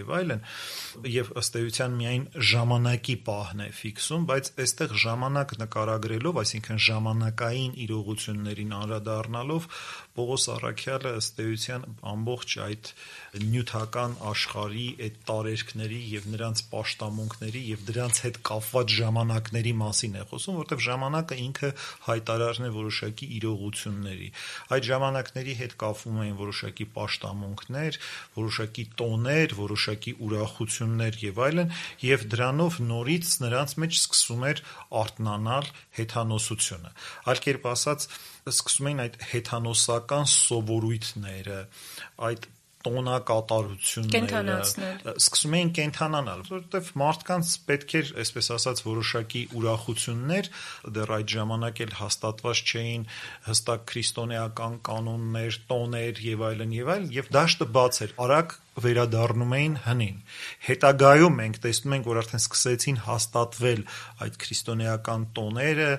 եւ ըստ էության միայն ժամանակի պահն է ֆիքսում, բայց այստեղ ժամանակ նկարագրելով, այսինքն ժամանակային իրողություններին անդրադառնալով, Պողոս առաքյալը ըստ էության ամբողջ այդ նյութական աշխարհի այդ տարերքների եւ նրանց պաշտամունքների եւ դրանց հետ կապված ժամանակների մասին է խոսում, որտեղ ժամանակը ինքը հայտարարն է որոշակի իրողությունների։ Այդ ժամանակների հետ կապվում են որոշակի պաշտամունքներ, որոշակի տոներ, որոշակի ուրախություններ եւ այլն, եւ դրանով նորից նրանց մեջ սկսում էր արթնանալ հեթանոսությունը։ Այլ կերպ ասած, սկսում էին այդ հեթանոսական սովորույթները, այդ տոնակատարությունները սկսում էին կենթանանալ, որովհետև մարդկանց պետք էր, այսպես ասած, որոշակի ուրախություններ, դեռ այդ ժամանակ էլ հաստատված չէին հստակ քրիստոնեական կանոններ, տոներ եւ այլն, եւ դաշտը բաց էր, արագ վերադառնում էին հնին։ Հետագայում մենք տեսնում ենք, որ արդեն սկսեցին հաստատվել այդ քրիստոնեական տոները,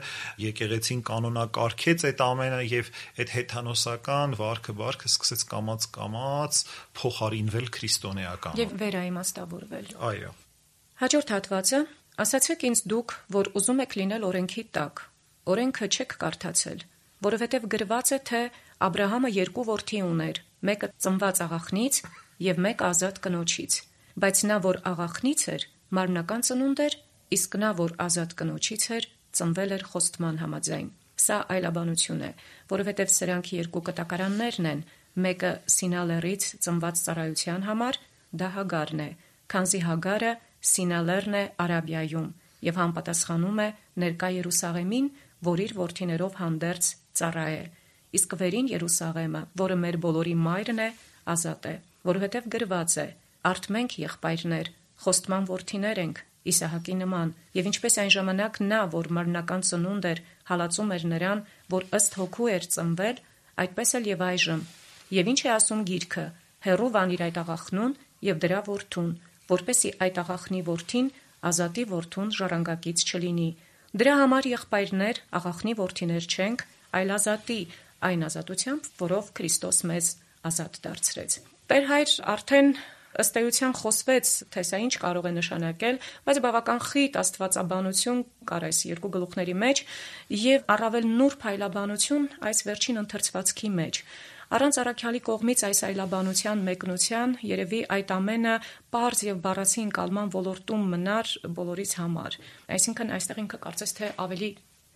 եկեղեցին կանոնակարգեց այդ ամենը եւ այդ հեթանոսական վարքը սկսեց կամաց փոխարինվել քրիստոնեական եւ վերաիմաստավորվել։ Այո։ Հաջորդ հատվածը. ասացեք ինձ դուք, որ ուզում եք լինել օրենքի տակ, օրենքը չեք կարդացել, որովհետեւ գրված է, թե Աբրահամը 2 որդի ուներ, մեկը ծնված աղախնից եւ մեկ ազատ կնոջից, բայց նա, որ աղախնից էր, մարմնական ծնունդ էր, իսկ նա, որ ազատ կնոջից էր, ծնվել էր խոստման համաձայն։ Սա այլաբանություն է, որովհետև սրանք 2 կտակարաններն են, մեկը Սինալերից ծնված ծառայության համար, դա Հագարն է, քանզի Հագարը Սինալերն է Արաբիայում եւ համապատասխանում է ներկա Երուսաղեմին, որ իր որդիներով հանդերձ ծառա է, իսկ վերին Երուսաղեմը, որը մեր բոլորի մայրն է, ազատ է, որովհետև գրված է. «Արդ մենք եղբայրներ, խոստման որդիներ ենք, Իսահակի նման, եւ ինչպես այն ժամանակ նա, որ մարմնական ծնունդ էր, հալածում էր նրան, որ ըստ հոգու էր ծնվել, այդպես էլ եւ այժմ։ Եվ ինչ է ասում գիրքը. հեռու վանիր այդ աղախնուն եւ դրա որդուն, որպեսզի այդ աղախնի որդին ազատի որդուն ժառանգակից չլինի։ Դրա համար եղբայրներ աղախնի որդիներ չենք, այլ ազատի այն ազատությամբ, որով Քրիստոս մեզ ազատ դարձրեց։ Տեր Հայր արդեն ըստ էության խոսվեց, թե սա ինչ կարող է նշանակել, բայց բավական խիտ աստվածաբանություն կար այս երկու գլուխների մեջ եւ առավել նուրբ այլաբանություն այս վերջին ընթերցվածքի մեջ։ Առանց առաքյալի կողմից այս այլաբանության մեկնության երևի այդ ամենը պարզ եւ բառացի ընկալման ոլորտում մնար բոլորից համար։ Այսինքն այստեղ ինքը կարծես թե ավելի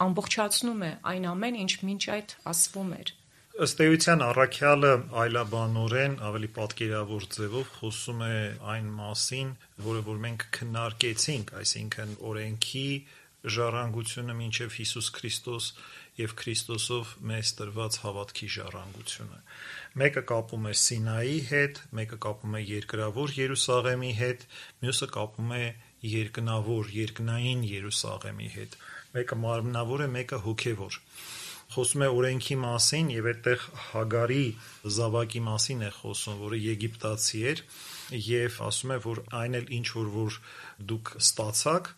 ամբողջացնում է այն ամեն ինչ մինչ այդ ասվում էր։ Ըստ էության առաքյալը այլաբանորեն ավելի պատկերավոր ձևով խոսում է այն մասին, որ մենք քննարկեցինք, այսինքն օրենքի ժառանգությունը մինչև Հիսուս Քրիստոս եւ Քրիստոսով մեզ տրված հավատքի ժառանգությունը։ Մեկը կապում է Սինայի հետ, մեկը կապում է երկրավոր Երուսաղեմի հետ, մյուսը կապում է երկնավոր, երկնային Երուսաղեմի հետ։ Մեկը մարմնավոր է, մեկը հոգևոր։ Խոսում է օրենքի մասին եւ այդտեղ Հագարի զավակի մասին է խոսում, որը եգիպտացի էր եւ ասում է, որ այն էլ ինչ որ դուք ստացաք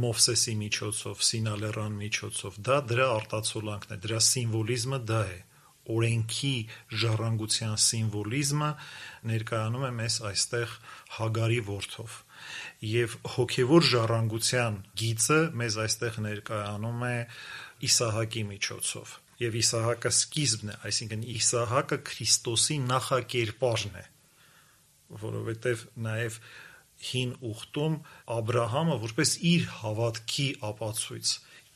Մովսեսի միջոցով, Սինալեռան միջոցով, դա դրա արտացոլանքն է, դրա սիմվոլիզմը դա է։ Օրենքի ժառանգության սիմվոլիզմը ներկայանում է մեզ այստեղ Հագարի որդով եւ հոգեվոր ժառանգության գիծը մեզ այստեղ ներկայանում է Իսահակի միջոցով եւ Իսահակը սկիզբն է, այսինքն Իսահակը Քրիստոսի նախակերպարն է, որովհետեւ նաեւ հին ուխտում Աբրահամը որպես իր հավատքի ապացույց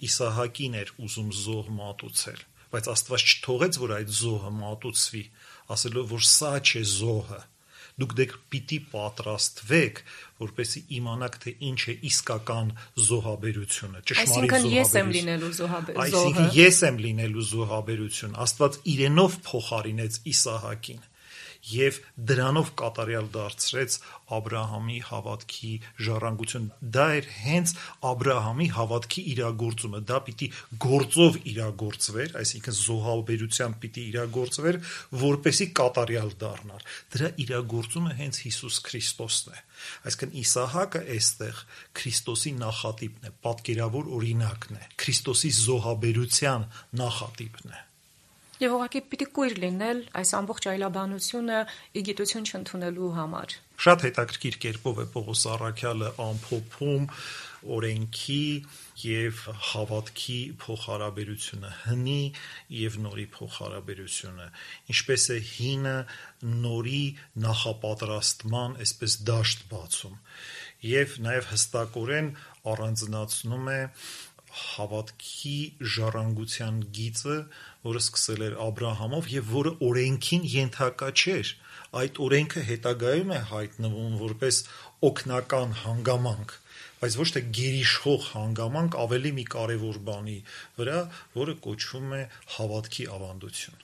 Իսահակին էր ուզում զոհ մատուցել, բայց Աստված չթողեց, որ այդ զոհը մատուցվի, ասելով, որ սա չէ զոհը, դուք դեռ պիտի պատրաստվեք, որպեսզի իմանաք, թե ինչ է իսկական զոհաբերությունը, ճշմարիտ զոհաբերությունը։ Այսինքն ես եմ լինելու զոհը։ Այսինքն ես եմ լինելու զոհաբերությունը։ Աստված իրենով փոխարինեց Իսահակին եւ դրանով կատարյալ դարձրեց Աբրահամի հավատքի ժառանգություն։ Դա էր հենց Աբրահամի հավատքի իրագործումը, դա պիտի գործով իրագործվեր, այսինքն զոհաբերությամբ պիտի իրագործվեր, որպեսի կատարյալ դառնար։ Դրա իրագործումը հենց Հիսուս Քրիստոսն է։ Այսինքն Իսահակը այստեղ Քրիստոսի նախատիպն է, պատկերավոր օրինակն է, Քրիստոսի զոհաբերության նախատիպն է։ Եվ ուղղակի պիտի կույր լինել այս ամբողջ այլաբանությունը իգիտություն չընդունելու համար։ Շատ հետաքրքիր կերպով է Պողոս առաքյալը ամփոփում օրենքի եւ հավատքի փոխհարաբերությունը, հնի եւ նորի փոխհարաբերությունը, ինչպես է հինը նորի նախապատրաստման այսպես դաշտ բացում եւ նաեւ հստակորեն առանձնացնում է հավատքի ժառանգության գիծը, որը սկսել էր Աբրահամով եւ որը օրենքին ենթակա չէր։ Այդ օրենքը հետագայում է հայտնվում որպես օգնական հանգամանք, բայց ոչ թե գերիշխող հանգամանք ավելի մի կարևոր բանի վրա, որը կոչվում է հավատքի ավանդություն։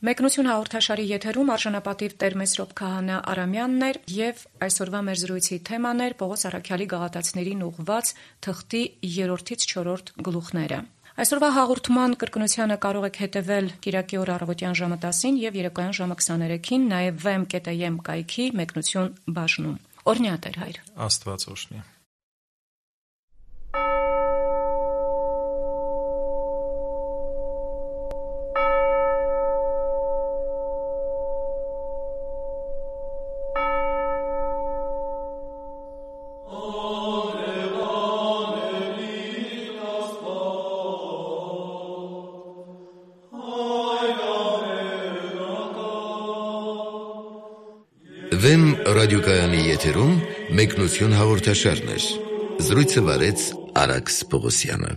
Մեկնություն հաղորդաշարի եթերում արժանապատիվ Տեր Մեսրոպ Քահանա Արամյանն էր եւ այսօրվա մեր զրույցի թեման էր Պողոս առաքյալի գաղատացիներին ուղղված թղթի 3-ից 4 գլուխները։ Այսօրվա հաղորդման կրկնությանը կարող եք հետևել Կիրակի օր առավոտյան ժամը 10-ին եւ երեկոյան ժամը 23-ին, նաեւ vm.am կայքի մեկնություն բաժնում։ Օրհնյա Տեր Հայր։ Աստված օրհնի։ Վեմ ռադիոկայանի եթերում մեկնություն հաղորդաշարներ։ Զրույցը վարեց Արաքս Պողոսյանը։